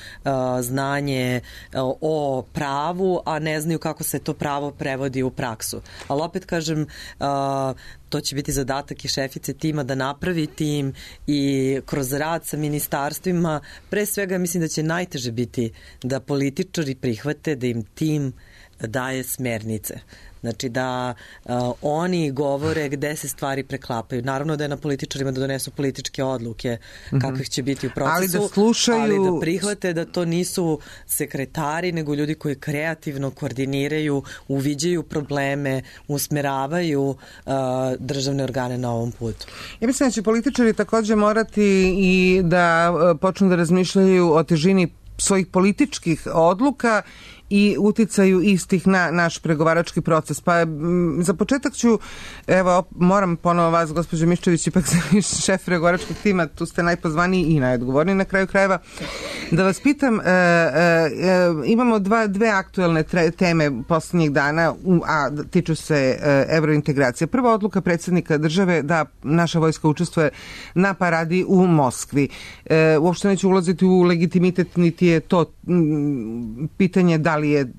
znanje uh, o pravu, a ne znaju kako se to pravo prevodi u praksu. Ali opet kažem, uh, to će biti zadatak i šefice tima da napravi tim i kroz rad sa ministarstvima. Pre svega mislim da će najteže biti da političari prihvate da im tim da daje smernice. Znači da uh, oni govore gde se stvari preklapaju. Naravno da je na političarima da donesu političke odluke kakvih će biti u procesu, ali da slušaju, ali da prihvate da to nisu sekretari, nego ljudi koji kreativno koordiniraju, uviđaju probleme, usmeravaju uh, državne organe na ovom putu. Ja mislim da će političari takođe morati i da uh, počnu da razmišljaju o težini svojih političkih odluka i uticaju istih na naš pregovarački proces. Pa m, za početak ću, evo, moram ponovo vas, gospođo Miščević, ipak sam šef pregovaračkog tima, tu ste najpozvaniji i najodgovorniji na kraju krajeva, da vas pitam, e, e, imamo dva, dve aktuelne tre, teme poslednjih dana, a tiču se e, evrointegracije. Prva odluka predsjednika države da naša vojska učestvuje na paradi u Moskvi. E, uopšte neću ulaziti u legitimitet, niti je to m, pitanje da li je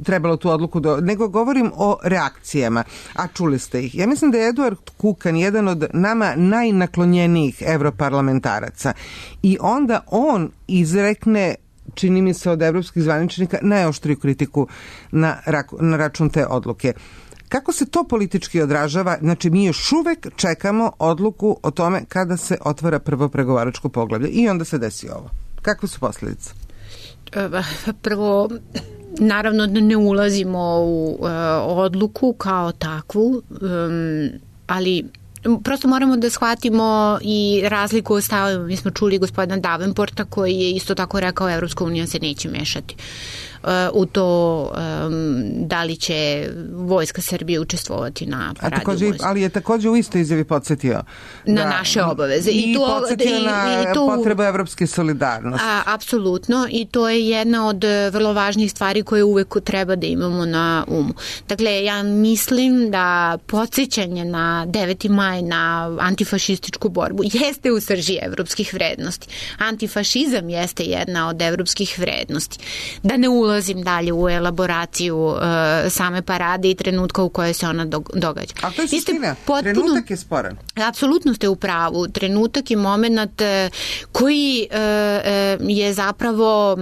trebalo tu odluku, do, nego govorim o reakcijama, a čuli ste ih. Ja mislim da je Eduard Kukan jedan od nama najnaklonjenijih evroparlamentaraca i onda on izrekne, čini mi se od evropskih zvaničnika, najoštriju kritiku na, na račun te odluke. Kako se to politički odražava? Znači, mi još uvek čekamo odluku o tome kada se otvara prvo pregovaračko poglavlje i onda se desi ovo. Kakve su posljedice? Prvo, naravno da ne ulazimo u uh, odluku kao takvu, um, ali prosto moramo da shvatimo i razliku o stavima. Mi smo čuli gospodina Davenporta koji je isto tako rekao Evropska unija se neće mešati u to um, da li će vojska Srbije učestvovati na paradi. Takođe, ali je takođe u istoj izjavi podsjetio na da, naše obaveze. I, i to, podsjetio i, na i to, potrebu evropske solidarnosti. A, apsolutno, i to je jedna od vrlo važnih stvari koje uvek treba da imamo na umu. Dakle, ja mislim da podsjećanje na deveti maj, na antifašističku borbu, jeste u srži evropskih vrednosti. Antifašizam jeste jedna od evropskih vrednosti. Da ne ulazim dalje u elaboraciju uh, same parade i trenutka u kojoj se ona događa. A to je suština. Potpuno, trenutak je sporan. Apsolutno ste u pravu. Trenutak je moment uh, koji uh, uh, je zapravo uh,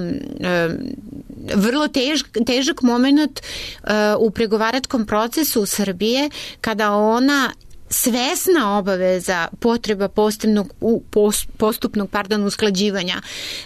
vrlo tež, težak moment uh, u pregovaračkom procesu Srbije kada ona svesna obaveza potreba postupnog, postupnog pardon, usklađivanja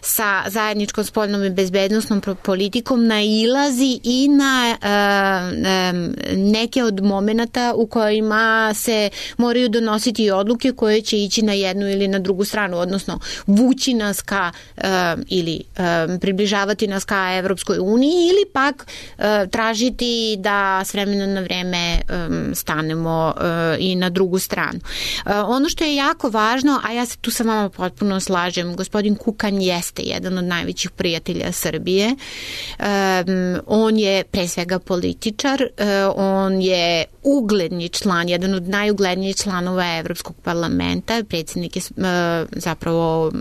sa zajedničkom spoljnom i bezbednostnom politikom nailazi i na uh, neke od momenata u kojima se moraju donositi odluke koje će ići na jednu ili na drugu stranu, odnosno vući nas ka uh, ili uh, približavati nas ka Evropskoj uniji ili pak uh, tražiti da s vremena na vreme um, stanemo uh, i na drugu stranu. Uh, ono što je jako važno, a ja se tu sa vama potpuno slažem, gospodin Kukan jeste jedan od najvećih prijatelja Srbije. Um, on je pre svega političar, uh, on je ugledni član, jedan od najuglednijih članova Evropskog parlamenta, predsjednik je uh, zapravo uh,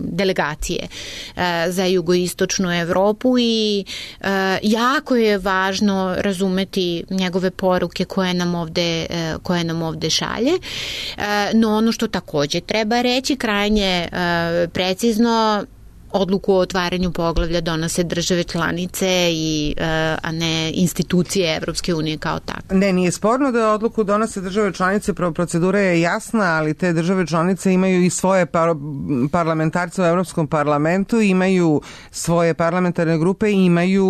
delegacije uh, za jugoistočnu Evropu i uh, jako je važno razumeti njegove poruke koje nam ovde, uh, koje nam ovde šalje. Uh, no ono što takođe treba reći, krajnje uh, precizno, odluku o otvaranju poglavlja donose države članice i a ne institucije Evropske unije kao takve. Ne, nije sporno da odluku donose države članice, procedura je jasna, ali te države članice imaju i svoje par parlamentarce u Evropskom parlamentu, imaju svoje parlamentarne grupe, imaju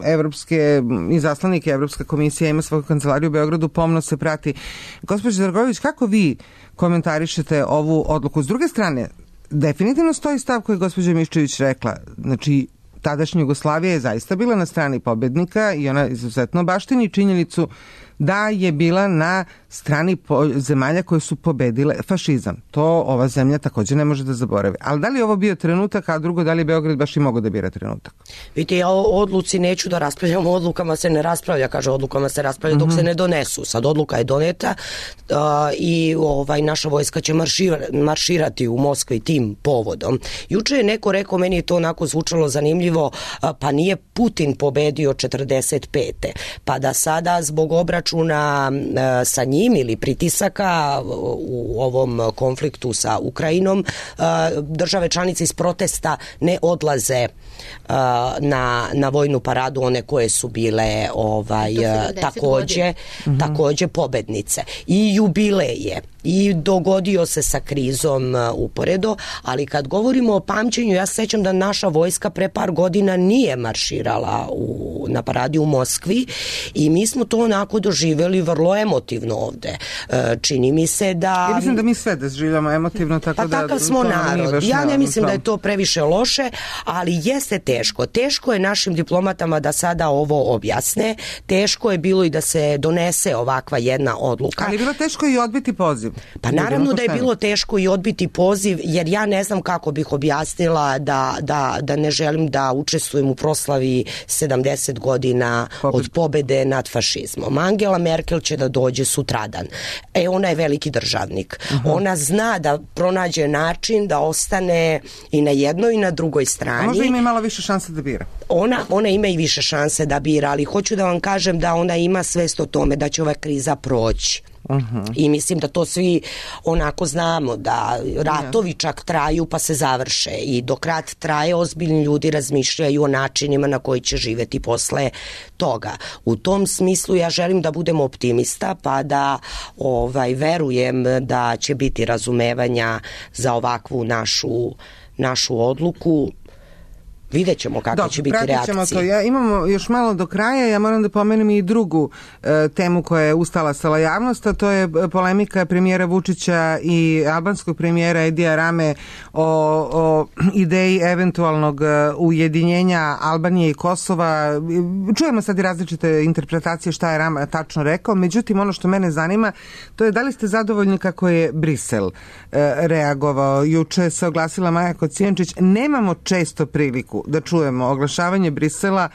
evropske izaslanike, Evropska komisija ima svoju kancelariju u Beogradu, pomno se prati. Gospođo Dragojević, kako vi komentarišete ovu odluku? S druge strane, definitivno stoji stav koji je gospođa Miščević rekla. Znači, tadašnja Jugoslavija je zaista bila na strani pobednika i ona izuzetno baštini činjenicu da je bila na strani zemalja koje su pobedile fašizam. To ova zemlja takođe ne može da zaboravi. Ali da li je ovo bio trenutak, a drugo, da li je Beograd baš i mogao da bira trenutak? Vidite, ja o odluci neću da raspravljam, o odlukama se ne raspravlja, kaže, odlukama se raspravlja dok mm-hmm. se ne donesu. Sad odluka je doneta uh, i ovaj, naša vojska će maršira, marširati u Moskvi tim povodom. Juče je neko rekao, meni je to onako zvučalo zanimljivo, uh, pa nije Putin pobedio četrdeset pete pa da sada zbog obračuna obračuna e, sa njim ili pritisaka u ovom konfliktu sa Ukrajinom, e, države članice iz protesta ne odlaze na, na vojnu paradu, one koje su bile ovaj, takođe, takođe pobednice. I jubileje. I dogodio se sa krizom uporedo, ali kad govorimo o pamćenju, ja se sećam da naša vojska pre par godina nije marširala u, na paradi u Moskvi i mi smo to onako doživjeli vrlo emotivno ovde. Čini mi se da... Ja mislim da mi sve doživljamo emotivno, tako pa da... Pa takav smo narod. Ja ne mislim da je to previše loše, ali jeste teško. Teško je našim diplomatama da sada ovo objasne. Teško je bilo i da se donese ovakva jedna odluka. Ali je bilo teško i odbiti poziv. Pa naravno da je bilo teško i odbiti poziv, jer ja ne znam kako bih objasnila da, da, da ne želim da učestvujem u proslavi sedamdeset godina od pobede nad fašizmom. Angela Merkel će da dođe sutradan. E, ona je veliki državnik. Uh-huh. Ona zna da pronađe način da ostane i na jednoj i na drugoj strani. A možda ima i malo više šanse da bira. Ona, ona ima i više šanse da bira, ali hoću da vam kažem da ona ima svest o tome da će ova kriza proći. Uh-huh. I mislim da to svi onako znamo, da ratovi čak traju pa se završe i dok rat traje ozbiljni ljudi razmišljaju o načinima na koji će živeti posle toga. U tom smislu ja želim da budem optimista pa da ovaj, verujem da će biti razumevanja za ovakvu našu, našu odluku. Vidjet ćemo kakve će biti reakcije. To. Ja, imamo još malo do kraja, ja moram da pomenem i drugu e, temu koja je ustala stala javnost, a to je polemika premijera Vučića i albanskog premijera Edija Rame o, o ideji eventualnog ujedinjenja Albanije i Kosova. Čujemo sad i različite interpretacije šta je Rama tačno rekao, međutim ono što mene zanima to je da li ste zadovoljni kako je Brisel e, reagovao. Juče se oglasila Maja Kocijančić, nemamo često priliku da čujemo oglašavanje Brisela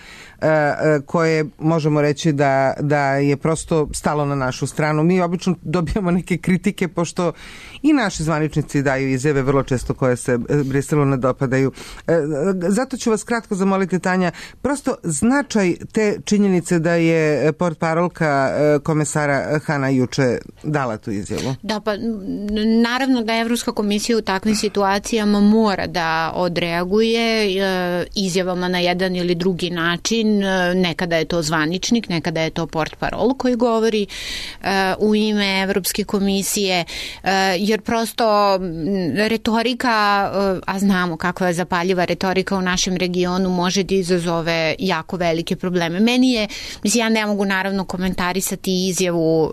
koje možemo reći da, da je prosto stalo na našu stranu. Mi obično dobijamo neke kritike pošto i naši zvaničnici daju izjave vrlo često koje se Briselu ne dopadaju. Zato ću vas kratko zamoliti, Tanja, prosto značaj te činjenice da je portparolka komesara Hana juče dala tu izjavu. Da, pa naravno da Evropska komisija u takvim situacijama mora da odreaguje izjavama na jedan ili drugi način. Nekada je to zvaničnik, nekada je to portparol koji govori uh, u ime Evropske komisije, uh, jer prosto retorika, uh, a znamo kakva je zapaljiva retorika u našem regionu, može da izazove jako velike probleme. Meni je, mislim, ja ne mogu naravno komentarisati izjavu um,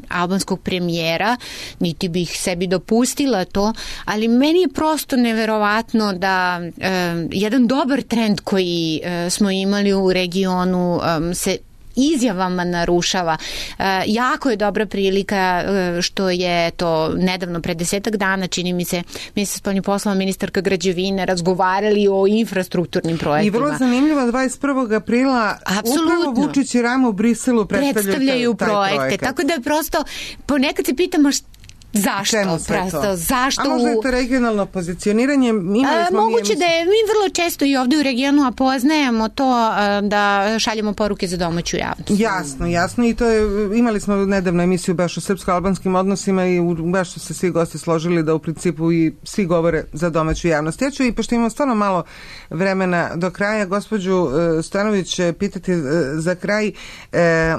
albanskog premijera, niti bih sebi dopustila to, ali meni je prosto neverovatno da um, jedan dobar trend koji uh, smo imali u regionu um, se izjavama narušava. Uh, jako je dobra prilika uh, što je to nedavno, pre desetak dana, čini mi se, ministar spoljnih poslova, ministarka građevine razgovarali o infrastrukturnim projektima. I vrlo zanimljivo, dvadeset prvog aprila Apsolutno. Upravo Vučić i Rama u Briselu predstavljaju, predstavljaju taj projekte. projekat. Tako da je prosto, ponekad se pitamo šta Zašto? Prosto, zašto? A možda je to regionalno pozicioniranje? Imali smo a, moguće da je, mi vrlo često i ovde u regionu a poznajemo to a, da šaljemo poruke za domaću javnost. Jasno, jasno i to je, imali smo nedavno emisiju baš o srpsko-albanskim odnosima i baš su se svi gosti složili da u principu i svi govore za domaću javnost. Ja ću i pošto imamo stvarno malo vremena do kraja, gospođu Stanović pitati za kraj, e,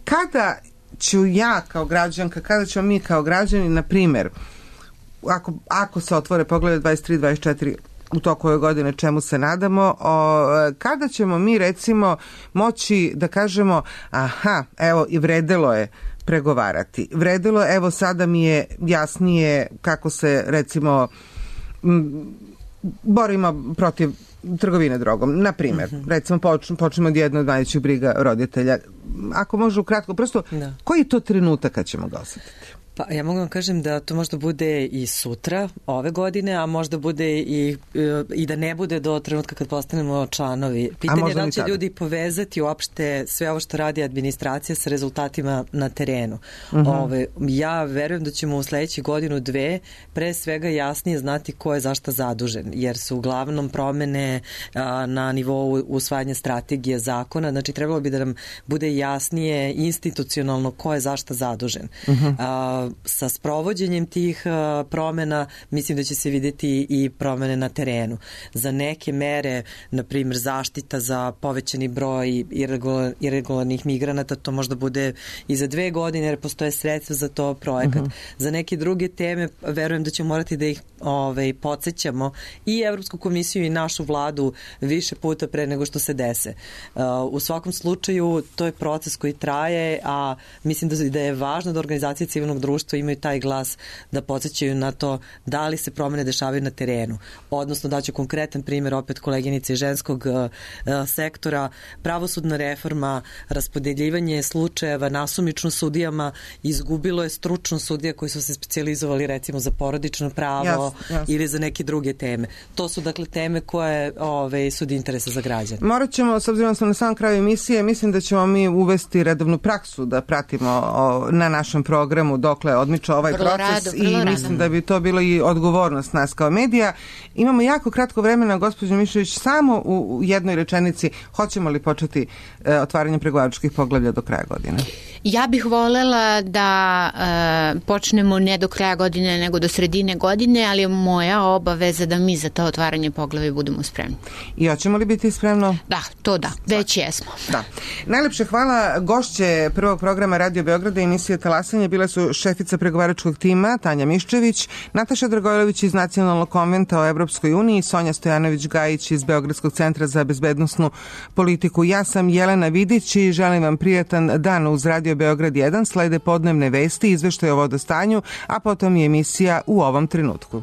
kada ću ja kao građanka, kada ćemo mi kao građani, na primjer, ako, ako se otvore poglede dvadeset tri dvadeset četiri u toku ove godine, čemu se nadamo, o, kada ćemo mi recimo moći da kažemo aha, evo i vredelo je pregovarati. Vredelo, evo sada mi je jasnije kako se recimo m, borimo protiv trgovine drogom. Na primjer, uh-huh. recimo počnemo od jedne od najvećih briga roditelja. Ako može ukratko, prosto, da. Koji je to trenutak kad ćemo ga osetiti? Pa ja mogu vam kažem da to možda bude i sutra, ove godine, a možda bude i, i da ne bude do trenutka kad postanemo članovi. Pitanje je da li će ljudi povezati uopšte sve ovo što radi administracija sa rezultatima na terenu. Uh-huh. Ove, ja verujem da ćemo u sledećih godinu, dve, pre svega jasnije znati ko je zašta zadužen, jer su uglavnom promene a, na nivou usvajanja strategije zakona, znači trebalo bi da nam bude jasnije institucionalno ko je zašta zadužen. Uh-huh. A, sa sprovođenjem tih a, promena mislim da će se videti i promene na terenu. Za neke mere, na primjer zaštita za povećani broj irregular, irregularnih migranata, to možda bude i za dve godine jer postoje sredstva za to projekat. Uh-huh. Za neke druge teme verujem da ćemo morati da ih ovaj, podsjećamo i Evropsku komisiju i našu vladu više puta pre nego što se dese. Uh, u svakom slučaju to je proces koji traje, a mislim da, da je važno da organizacije civilnog društva imaju taj glas da podsjećaju na to da li se promene dešavaju na terenu. Odnosno daću konkretan primjer opet koleginice ženskog uh, sektora, pravosudna reforma, raspodeljivanje slučajeva nasumično sudijama, izgubilo je stručno sudija koji su se specijalizovali recimo za porodično pravo yes, yes. ili za neke druge teme. To su dakle teme koje ove, su od interesa za građane. Morat ćemo, s obzirom da smo na samom kraju emisije, mislim da ćemo mi uvesti redovnu praksu da pratimo o, na našem programu dokle odmiče ovaj vrlo proces rado, i rado. Mislim da bi to bilo i odgovornost nas kao medija. Imamo jako kratko vremena, gospođo Mišović, samo u, u jednoj rečenici, hoćemo li početi e, otvaranje pregovaračkih poglavlja do kraja godine? Ja bih volela da e, počnemo ne do kraja godine, nego do sredine godine, ali je moja obaveza da mi za to otvaranje poglavlja budemo spremni. I hoćemo li biti spremno? Da, to da, već jesmo. Da. Najlepše hvala. Gošće prvog programa Radio Beograda i emisije Talasanje bile su šefica pregovaračkog tima Tanja Miščević, Nataša Dragojlović iz Nacionalnog konventa o Evropskoj uniji, Sonja Stojanović-Gajić iz Beogradskog centra za bezbednosnu politiku. Ja sam Jelena Vidić i želim vam prijatan dan uz Radio Beograd jedan. Slede podnevne vesti, izveštaj o vodostanju, a potom i emisija U ovom trenutku.